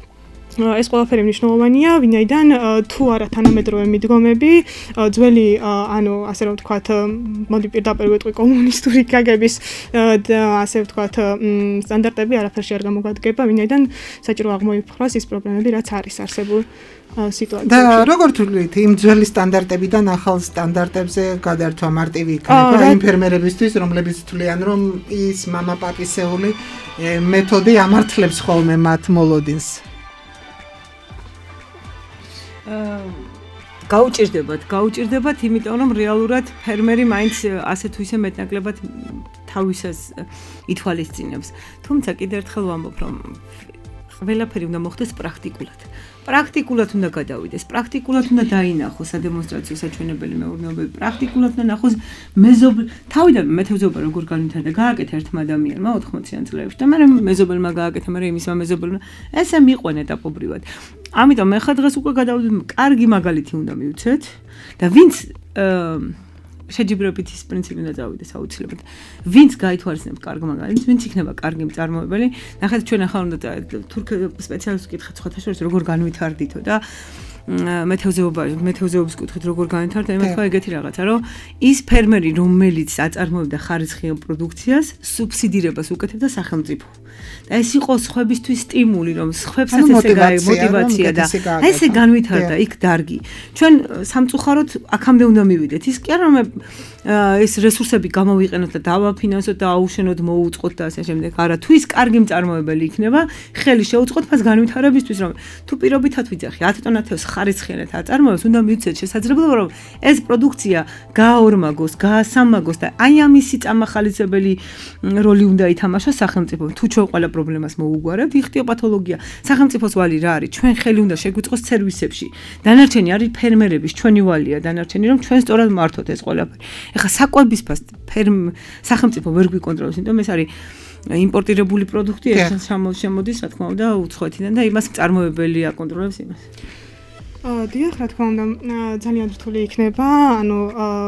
ეს ყველაფერი მნიშვნელოვანია, ვინაიდან თუ არა თანამედროვე მიდგომები, ძველი, ანუ ასე რომ ვთქვათ, მოდი პირდაპირ ვიტყვი კომუნისტური გაგების და ასე ვთქვათ, სტანდარტები არაფერში არ გამოგვადგება, ვინაიდან საჭირო აღმოიფხვრას ის პრობლემები, რაც არის არსებულ სიტუაციაში. და როგორ თვლით, იმ ძველი სტანდარტებიდან ახალ სტანდარტებზე გადართვა მარტივი იქნება იმ ფერმერებისთვის, რომლებიც თვლიან, რომ ის მამა-პაპისეული მეთოდი ამართლებს ხოლმე მათ მოლოდინს? გაუჭირდებათ, იმიტომ რომ რეალურად ფერმერი მაინც ასე თუ ისე მეტნაკლებად თავისას ითვალისწინებს. თუმცა კიდევ ერთხელ ვამბობ, რომ ყველაფერი უნდა მოხდეს პრაქტიკულად. პრაქტიკულად უნდა გადავიდეს, პრაქტიკულად უნდა დაინახოს სადემონსტრაციო საჩვენებელი მეურნეობები, პრაქტიკულად უნდა ნახოს თავიდან მეთევზეობა როგორ განვითარდა, გააკეთა ერთმა ადამიანმა 80-იან წლებში და მაგრამ მეზობელმა გააკეთა, მაგრამ იმისმა მეზობელმა ესე მიყვენ ეტაპობრივად. ამიტომ მე ხა დღეს უკვე გადავიდეთ, კარგი მაგალითი უნდა მივცეთ და ვინც შეჯიბრებით ის პრინციპი უნდა წავიდეს აუცილებლად. ვინც გაითვალისწინებს კარგ მაგალითს, ვინც იქნება კარგი მწარმოებელი. ნახეთ ჩვენ ახლა უნდა თურქ სპეციალისტს ვკითხეთ სხვათა შორის როგორ განვითარდითო და მეთევზეობის კუთხით როგორ განვითარდა, მე თქვა ეგეთი რაღაცა, რომ ის ფერმერი, რომელიც აწარმოებდა ხარისხიან პროდუქციას, სუბსიდირებას უკეთებდა სახელმწიფო. და ეს იყო სხვებისთვის სტიმული, რომ სხვებსაც ესე მოტივაცია და ესე განვითარდა იქ დარგი. ჩვენ სამწუხაროდ აქამდე უნდა მივიდეთ. ის კი არა რომ ეს რესურსები გამოვიყენოთ და დავაფინანსოთ და აუშენოთ, მოუწყოთ და ასე შემდეგ. არა, თუ ის კარგი მწარმოებელი იქნება, ხელი შეუწყოთ მას განვითარებისთვის, რომ თუ პირობითად ვიძახი 10 ტონა თევზს ხარისხიანად აწარმოებს, უნდა მივცეთ შესაძლებლობა, რომ ეს პროდუქცია გააორმაგოს, გაასამაგოს და აი ამისი წამახალისებელი როლი უნდა ითამაშოს სახელმწიფომ. თუ ჩვენ ყველა პრობლემას მოუგვარებთ, იხტიო პათოლოგია. სახელმწიფოს ვალი რა არის? ჩვენ ხელი უნდა შეგვიწყოს სერვისებში. დანარჩენი არის ფერმერების, ჩვენი ვალია დანარჩენი, რომ ჩვენ სწორად მართოთ ეს ყველაფერი. ეხლა საკვების ფას სახელმწიფო ვერ გვიკონტროლებს, იმიტომ ეს არის იმპორტირებული პროდუქტი, ეს შემოდის, რა თქმა უნდა, უცხოეთიდან და იმას მწარმოებელი აკონტროლებს იმას. დიახ, რა თქმა უნდა, ძალიან რთული იქნება, ანუ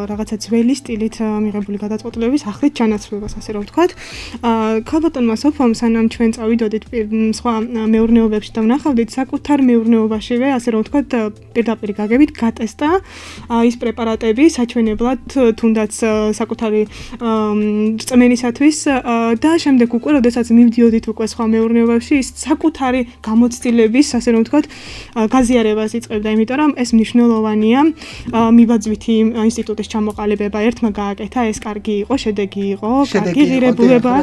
რაღაცა ძველი სტილით მიღებული გადაწყვეტილების ახლით ჩანაცვლებას, ასე რომ ვთქვათ. ქალბატონმა სოფომ, სანამ ჩვენ წავიდოდით სხვა მეურნეობებში და ვნახავდით, საკუთარ მეურნეობაშივე, ასე რომ ვთქვათ, პირდაპირ გაგებით გატესტა ის პრეპარატები საჩვენებლად, თუნდაც საკუთარი რწმენისათვის და შემდეგ უკვე, როდესაც მივდიოდით უკვე სხვა მეურნეობებში, ის საკუთარი გამოცდილების, ასე რომ ვთქვათ, გაზიარებას იწყებდა. იმიტომ რომ ეს მნიშვნელოვანია მიბაძვითი ინსტიტუტის ჩამოყალიბება ერთმა გააკეთა ეს კარგი იყო შედეგი იყო კარგი ღირებულება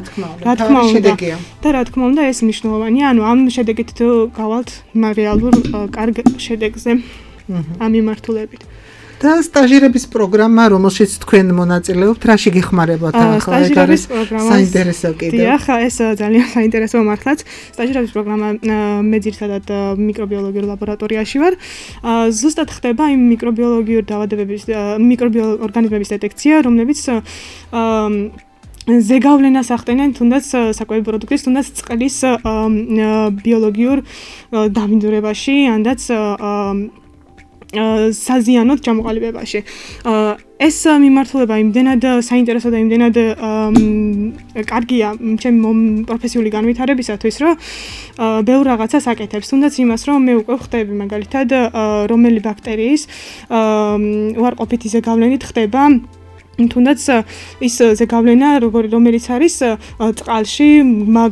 რა თქმა უნდა და რა თქმა უნდა ეს მნიშვნელოვანია ანუ ამ შედეგით გავალთ რეალურ კარგ შედეგზე ამ მიმართულებით და სტაჟირების პროგრამა, რომელშიც თქვენ მონაწილეობთ, რაში გეხმარებათ ახლა ეს არის საინტერესო კიდევ. დიახ, ეს ძალიან საინტერესო მართლაც. სტაჟირების პროგრამა მე ძირითადად მიკრობიოლოგიურ ლაბორატორიაში ვარ. ზუსტად ხდება იმ მიკრობიოლოგიურ დაავადებების, მიკროორგანიზმების დეტექცია, რომლებიც ზეგავლენას ახდენენ თუნდაც საკვები პროდუქტის, თუნდაც წყლის ბიოლოგიურ დამინდურებაში, ანდაც საზიანოდ ჩამოყალიბებაში. ეს მიმართულება იმდენად საინტერესო და იმდენად კარგია ჩემი პროფესიული განვითარებისათვის, რომ ბევრ რაღაცას აკეთებს. თუნდაც იმას, რომ მე უკვე ხვდები მაგალითად, რომელი ბაქტერიის უარყოფითი ზეგავლენით ხდება თუნდაც ის ზეგავლენა, რომელიც არის წყალში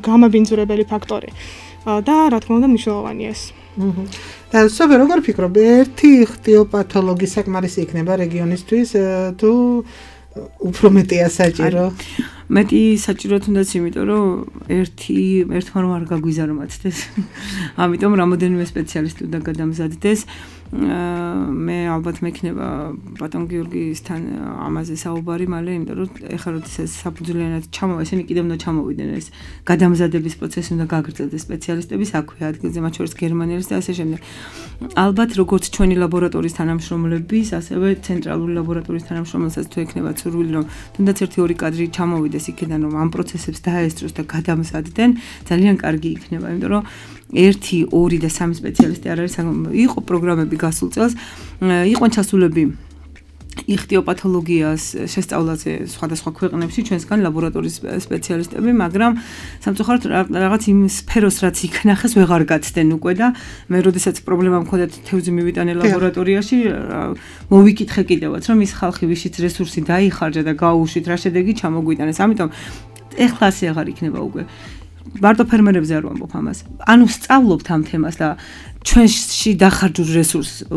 გამაბინძურებელი ფაქტორი. და რა თქმა უნდა მნიშვნელოვანია ეს. და სოფე როგორ ფიქრობ, ერთი იხტიოპათოლოგი საკმარისი იქნება რეგიონისთვის თუ უფრო მეტია საჭირო? მეტი საჭირო თუნდაც იმიტომ, რომ ერთმა რომ არ გაგვიზარო მათთვის. ამიტომ რამოდენიმე სპეციალისტი უნდა გადამზადდეს. მე ალბათ მექნება ბატონ გიორგისთან ამაზე საუბარი მალე, იმიტომ რომ ეხლა როდესაც საფუძვლიანად ჩამოვა, ესენი კიდევ უნდა ჩამოვიდნენ ეს გადამზადების პროცესი უნდა გაგრძელდეს სპეციალისტების აქვე ადგილზე, მათ შორის გერმანელის და ასე შემდეგ. ალბათ როგორც ჩვენი ლაბორატორიის თანამშრომლების, ასევე ცენტრალური ლაბორატორიის თანამშრომლებსაც თუ ექნებათ სურვილი, რომ თუნდაც 1-2 კადრი ჩამოვიდეს იქიდან, რომ ამ პროცესებს დაესწროს და გადამზადდნენ, ძალიან კარგი იქნება, იმიტომ რომ 1, 2 და 3 სპეციალისტი არ არის, იყო პროგრამები გასულ წელს, იყვნენ ჩასულები იხტიოპათოლოგიას შესწავლაზე სხვადასხვა ქვეყნებში ჩვენსგან ლაბორატორიის სპეციალისტები, მაგრამ სამწუხაროდ რაღაც იმ სფეროს რაც იქნახეს ვეღარ გაცდნენ უკვე და მე როდესაც პრობლემა მქონდა თევზი მივიტანე ლაბორატორიაში, მოვიკითხე კიდევაც, რომ ის ხალხი ვიშიც რესურსი დაიხარჯა და გაუშვით რა შედეგი ჩამოგვიტანეს. ამიტომ ეხლა ასე აღარ იქნება უკვე. მარტო ფერმერებზე არ ვამბობ ამას. ანუ სწავლობთ ამ თემას და ჩვენში დახარჯულ რესურსს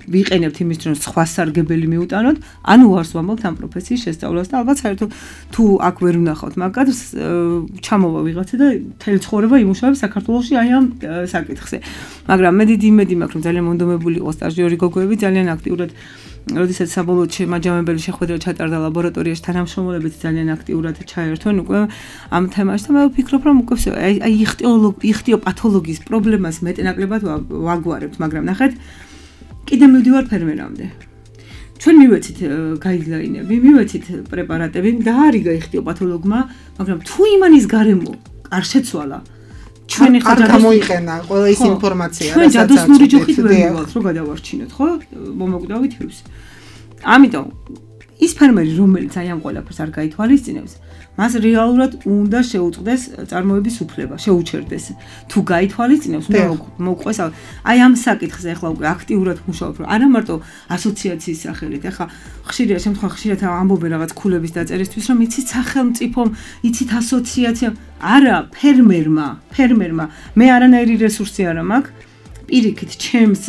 ვიყენებთ იმისთვის, რომ სხვა სარგებელი მიუტანოთ, ანუ ვარს ვამბობთ ამ პროფესიის შესწავლას და ალბათ საერთოდ თუ აქ ვერ ვნახავთ მაგას, ჩამოვა ვიღაცა და მთელი ცხოვრება იმუშავებს საქართველოში აი ამ საკითხზე. მაგრამ მე დიდი იმედი მაქვს, რომ ძალიან მონდომებული იყო სტაჟიორი გოგოები, ძალიან აქტიურად როდესაც საბოლოოდ შემაჯამებელი შეხვედრა ჩატარდა ლაბორატორიაში თანამშრომლებით ძალიან აქტიურად ჩაერთვენ უკვე ამ თემაში და მე ვფიქრობ რომ უკვე აი იხტიოპათოლოგიის პრობლემას მეტნაკლებად ვაგვარებთ, მაგრამ ნახეთ კიდე მივდივარ ფერმერამდე. ჩვენ მივეცით გაიდლაინები, მივეცით პრეპარატები, დაარიგა იხტიოპათოლოგმა, მაგრამ თუ იმანის გარემო არ შეცვალა ჩვენ არ გამოიყენა ყველა ის ინფორმაცია, ჩვენ ჯადოსნური ჯოხით ვერ მივალთ, რომ გადავარჩინოთ, ხო? მომოკვდავით ის. ამიტომ ის ფერმერი, რომელიც აი ამ ყველაფერს არ გაითვალისწინებს, მას რეალურად უნდა შეუწყდეს წარმოების უფლება, შეუჩერდეს. თუ გაითვალისწინებს, უნდა მოყვეს. აი ამ საკითხზე ახლა უკვე აქტიურად მუშაობ, რომ არა მარტო ასოციაციის სახელით, ახლა ხშირია შემთხვევა ხშირად ამბობენ რაღაც ქულების დაწერისთვის, რომ იცით სახელმწიფომ, იცით ასოციაციამ, არა ფერმერმა მე არანაირი რესურსი არ მაქვს, პირიქით ჩემს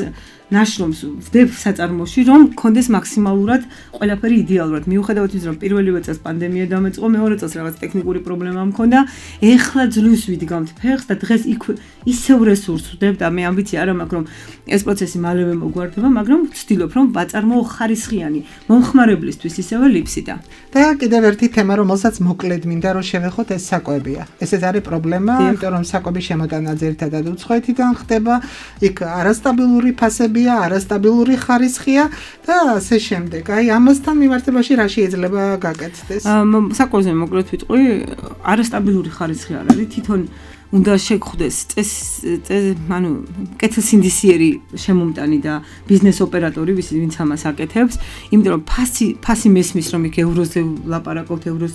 ნაშრომს ვდებ საწარმოში, რომ კონდეს მაქსიმალურად ყველაფერი იდეალურად. მიუხედავად იმისა, რომ პირველივე წელს პანდემია დამეწყო, მეორე წელს რაღაც ტექნიკური პრობლემა მქონდა, ეხლა ძლივს ვიდგამთ ფეხს და დღეს იქ ისევ რესურსს ვდებ და მე ამბიცია არ მაქვს, რომ ეს პროცესი მალევე მოგვარდება, მაგრამ ვცდილობ, რომ ვაწარმოო ხარისხიანი მომხმარებლისთვის ისევე ლიფსიდა. და კიდევ ერთი თემა, რომელსაც მოკლედ მინდა რომ შევეხოთ, ეს საკვებია. ესეც არის პრობლემა, იმიტომ რომ საკვების შემოტანა ძირითადად უცხოეთიდან ხდება, იქ არასტაბილური ფასებია, არასტაბილური ხარისხია და ასე შემდეგ. აი ამასთან მიმართებაში რა შეიძლება გაკეთდეს? საკვებზე მოკლედ ვიტყვი, არასტაბილური ხარისხი არ არის, თვითონ უნდა შეგხვდეს ანუ კეთილსინდისიერი შემომტანი და ბიზნეს ოპერატორი, ვინც ამას აკეთებს, იმიტომ რომ ფასი მესმის, რომ იქ ევროზე ვლაპარაკობთ, ევროს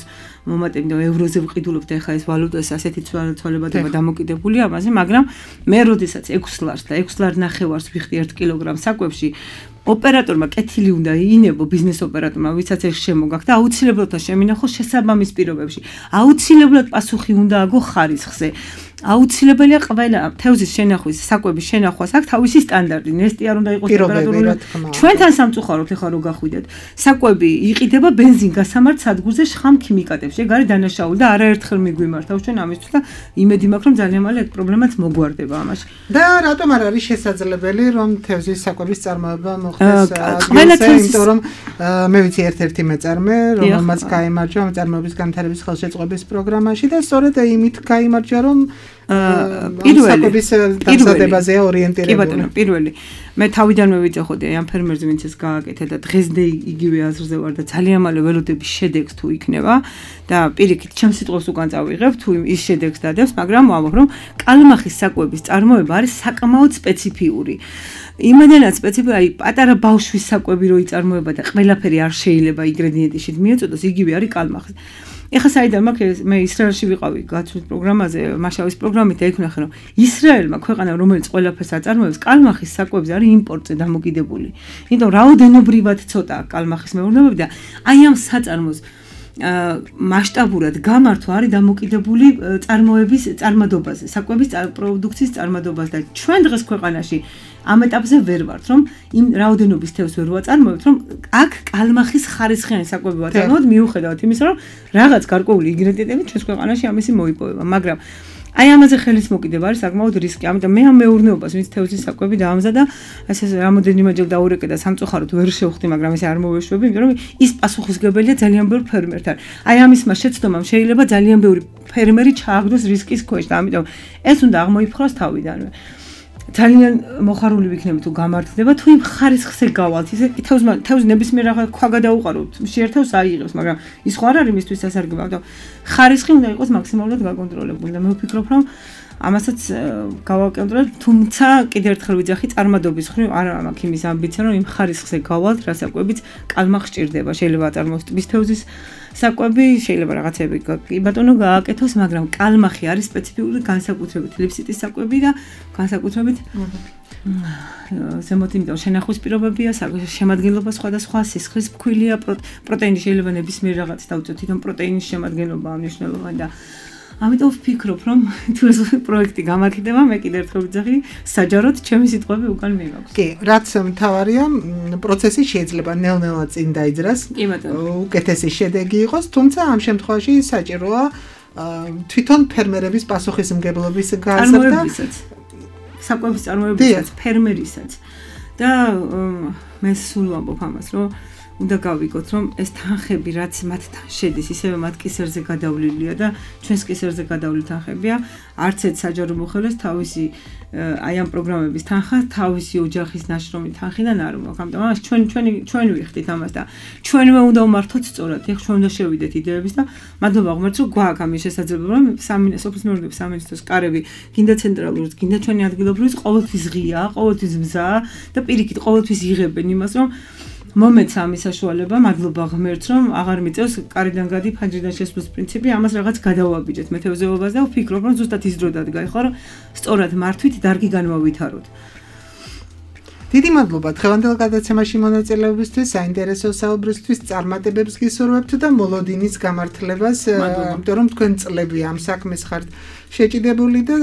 მომატებთ და ევროზე ვყიდულობთ ახლა ეს ვალუტას ასეთი ცვალებადობა დამოკიდებულია ამაზე, მაგრამ მე როდესაც 6 ლარს და 6 ლარ ნახევარს ვიხდი 1 კილოგრამ საკვებში, ოპერატორმა კეთილი უნდა ინებო ბიზნეს ოპერატორმა, ვისაც ეს შემოგაქვს და აუცილებლად შემინახოს შესაბამის პირობებში. აუცილებლად პასუხი უნდა აგო ხარისხზე. აუცილებელია ყველა თევზის შენახვის, საკვების შენახვას აქვს თავისი სტანდარტი. ნესტი არ უნდა იყოს ტემპერატურული. ჩვენთან სამწუხაროდ ახლა რო გახვიდეთ, საკვები იყიდება ბენზინ გასამართ სადგურზე შხამ ქიმიკატებში. ეგ არის დანაშაული და არაერთხელ მიგვიმართავს ჩვენ ამისთვის და იმედი მაქვს რომ ძალიან მალე ეგ პრობლემაც მოგვარდება ამაში. და რატომ არ არის შესაძლებელი რომ თევზის საკვების წარმოება მოხდეს ადგილზე, იმიტომ რომ მე ვიცი ერთ-ერთი მეწარმე, რომელმაც გაიმარჯვა წარმოების განვითარების ხელშეწყობის პროგრამაში და სწორედ იმით გაიმარჯვა რომ პირველი დამზადებაზეა ორიენტირებული. პირველი მე თავიდანვე ვიწეხოდი ამ ფერმერზე, ვინც ეს გააკეთა და დღესდე იგივე აზრზე ვარ და ძალიან მალე ველოდები შედეგს თუ იქნება და პირიქით ჩემს სიტყვებს უკან წავიღებ თუ ის შედეგს დადებს, მაგრამ ვამბობ რომ კალმახის საკვების წარმოება არის საკმაოდ სპეციფიური. იმედენად სპეციფიკური, აი პატარა ბავშვის საკვები რო იწარმოება და ყველაფერი არ შეიძლება ინგრედიენტში მიეწოდოს, იგივე არის კალმახის. ეხლა საიდან მაქვს მე ისრაელში ვიყავი გაცვლის პროგრამაზე, მაშავის პროგრამით და იქ ვნახე რომ ისრაელმა ქვეყანა რომელიც ყველაფერს აწარმოებს, კალმახის საკვებზე არის იმპორტზე დამოკიდებული. იმიტომ რაოდენობრივად ცოტა კალმახის მეურნეობები და აი ამ საწარმოს მასშტაბურად გამართვა არის დამოკიდებული წარმოების წარმადობაზე, საკვების პროდუქციის წარმადობაზე და ჩვენ დღეს ქვეყანაში ამ ეტაპზე ვერ ვართ, რომ იმ რაოდენობის თევზს ვერ ვაწარმოებთ, რომ აქ კალმახის ხარისხიანი საკვები ვაწარმოებთ, მიუხედავად იმისა, რომ რაღაც გარკვეული ინგრედიენტები ჩვენს ქვეყანაში ამისი მოიპოვება, მაგრამ აი ამაზე ხელის მოკიდება არის საკმაოდ რისკი. ამიტომ მე ამ მეურნეობას, ვინც თევზის საკვები დაამზადა, ესე რამოდენიმეჯერ დაურეკე და სამწუხაროდ ვერ შევხვდი, მაგრამ ესე არ მოვეშვები, იმიტომ რომ ის პასუხისგებელია ძალიან ბევრ ფერმერთან. აი ამის შეცდომამ შეიძლება ძალიან ბევრი ფერმერი ჩააგდოს რისკის ქვეშ და ამიტომ ეს უნდა აღმოიფხვრას თავიდანვე. ძალიან მოხარული ვიქნები თუ გამართლდება, თუ იმ ხარისხზე გავალთ, ისე თევზი ნებისმიერ რაღაც ქვა გადაუყაროთ, შეერთავს აიღებს, მაგრამ ის ხო არ არის მისთვის სასარგებლო, ამიტომ ხარისხი უნდა იყოს მაქსიმალურად გაკონტროლებული და მე ვფიქრობ, რომ ამასაც გავაკონტროლებ, თუმცა კიდევ ერთხელ ვიძახი წარმადობის ხრივ არ მაქვს იმის ამბიცია, რომ იმ ხარისხზე გავალთ, რასაკვებიც კალმახს სჭირდება, შეიძლება აწარმოოს ტბის თევზის საკვები, შეიძლება რაღაცები კი ბატონო გააკეთოს, მაგრამ კალმახი არის სპეციფიკური განსაკუთრებით ლიფსიტის საკვები და განსაკუთრებით ზემოთ, იმიტომ შენახვის პირობებია, შემადგენლობა სხვადასხვა, სისხლის ფქვილია, პროტეინი შეიძლება ნებისმიერ რაღაც დავუწოთ, თვითონ პროტეინის შემადგენლობა მნიშვნელოვანი და ამიტომ ვფიქრობ, რომ თუ ეს პროექტი გამართლდება, მე კიდევ ერთხელ ვიძახი, საჯაროდ ჩემი სიტყვები უკან მივაქვს. კი, რაც მთავარია, პროცესი შეიძლება ნელ-ნელა წინ დაიძრას, უკეთესი შედეგი იყოს, თუმცა ამ შემთხვევაში საჭიროა თვითონ ფერმერების პასუხისმგებლობის გაზრდა, საკვების წარმოებისაც, ფერმერისაც. და მე სულ ვამბობ ამას, რომ უნდა გავიგოთ, რომ ეს თანხები, რაც მათთან შედის, ისევე მათ კისერზე გადავლილია და ჩვენს კისერზე გადავლილი თანხებია, არც ერთ საჯარო მოხელეს თავისი აი ამ პროგრამების თანხა, თავისი ოჯახის ნაშრომი თანხიდან არ მოაქვს. ამიტომ ამას ჩვენ ვიხდით ამას და ჩვენვე უნდა ვმართოთ სწორად. ეხლა ჩვენ უნდა შევიდეთ იდეების და მადლობა ღმერთს, რომ გვაქვს ამის შესაძლებლობა, რომ სოფლის მეურნეობის სამინისტროს კარები, გინდა ცენტრალურიც, გინდა ჩვენი ადგილობრივიც ყოველთვის ღია, ყოველთვის მზაა და პირიქით ყოველთვის იღებენ იმას, რომ მომეც ამის საშუალება, მადლობა ღმერთს, რომ აღარ მიწევს კარიდან გადი ფანჯრიდან შესვლის პრინციპი, ამას რაღაც გადავაბიჯეთ მეთევზეობას და ვფიქრობ, რომ ზუსტად ის დრო დადგა, ხო, რომ სწორად მართვით დარგი განვავითაროთ. დიდი მადლობა დღევანდელ გადაცემაში მონაწილეობისთვის, საინტერესო საუბრისთვის, წარმატებებს გისურვებთ და მოლოდინის გამართლებას, იმიტომ რომ თქვენ წლები ამ საქმეს ხართ შეჭიდებული და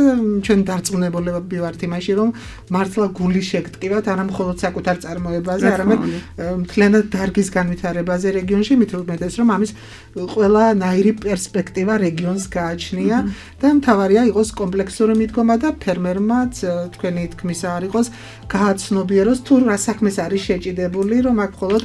ჩვენ დარწმუნებულები ვართ იმაში, რომ მართლა გული შეგტკივათ არა მხოლოდ საკუთარ წარმოებაზე, არამედ მთლიანად დარგის განვითარებაზე რეგიონში, მით უმეტეს რომ ამის ყველანაირი პერსპექტივა რეგიონს გააჩნია და მთავარია იყოს კომპლექსური მიდგომა და ფერმერმაც თქვენი თქმის არ იყოს გააცნობიეროს თუ რა საქმეს არის შეჭიდებული, რომ აქ მხოლოდ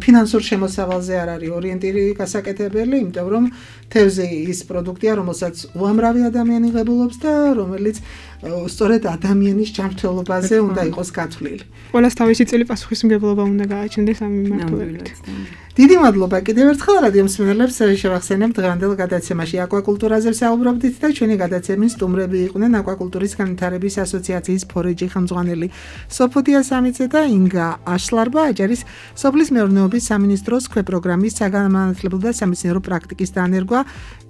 ფინანსურ შემოსავალზე არ არის ორიენტირი გასაკეთებელი, იმიტომ რომ თევზი ის პროდუქტია, რომელსაც უამრავი ადამიანი ღებულობს და რომელიც სწორედ ადამიანის ჯანმრთელობაზე უნდა იყოს გათვლილი. ყველას თავისი წილი პასუხისმგებლობა უნდა გააჩნდეს ამ მიმართულებით. დიდი მადლობა კიდევ ერთხელ რადიო მსმენელებს შევახსენებთ დღევანდელ გადაცემაში აკვაკულტურაზე ვსაუბრობდით და ჩვენი გადაცემის სტუმრები იყვნენ აკვაკულტურის განვითარების ასოციაციის ფორეჯი ხელმძღვანელი სოფოდია სამიძე და ინგა აშლარბა, აჭარის სოფლის მეურნეობის სამინისტროს ქვეპროგრამის საგანმანათლებლო და სამეცნიერო პრაქტიკის დანერგვა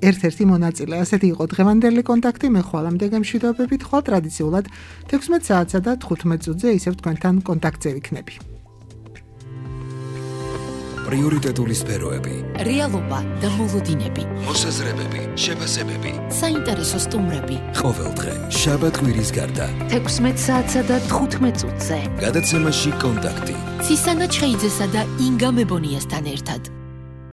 ერთ-ერთი მონაწილე. ასეთი იყო დღევანდელი კონტაქტი, მე ხვალამდე გამშვიდობებით, ხვალ ტრადიციულად 16 საათსა და 15 წუთზე ისევ თქვენთან კონტაქტზე ვიქნები. პრიორიტეტული სფეროები, რეალობა და მოლოდინები, მოსაზრებები, შეფასებები, საინტერესო სტუმრები. ყოველდღე შაბათ-კვირის გარდა 16 საათსა და 15 წუთზე. გადაცემაში კონტაქტი. ცისანა ჩხეიძესა და ინგა მებონიასთან ერთად.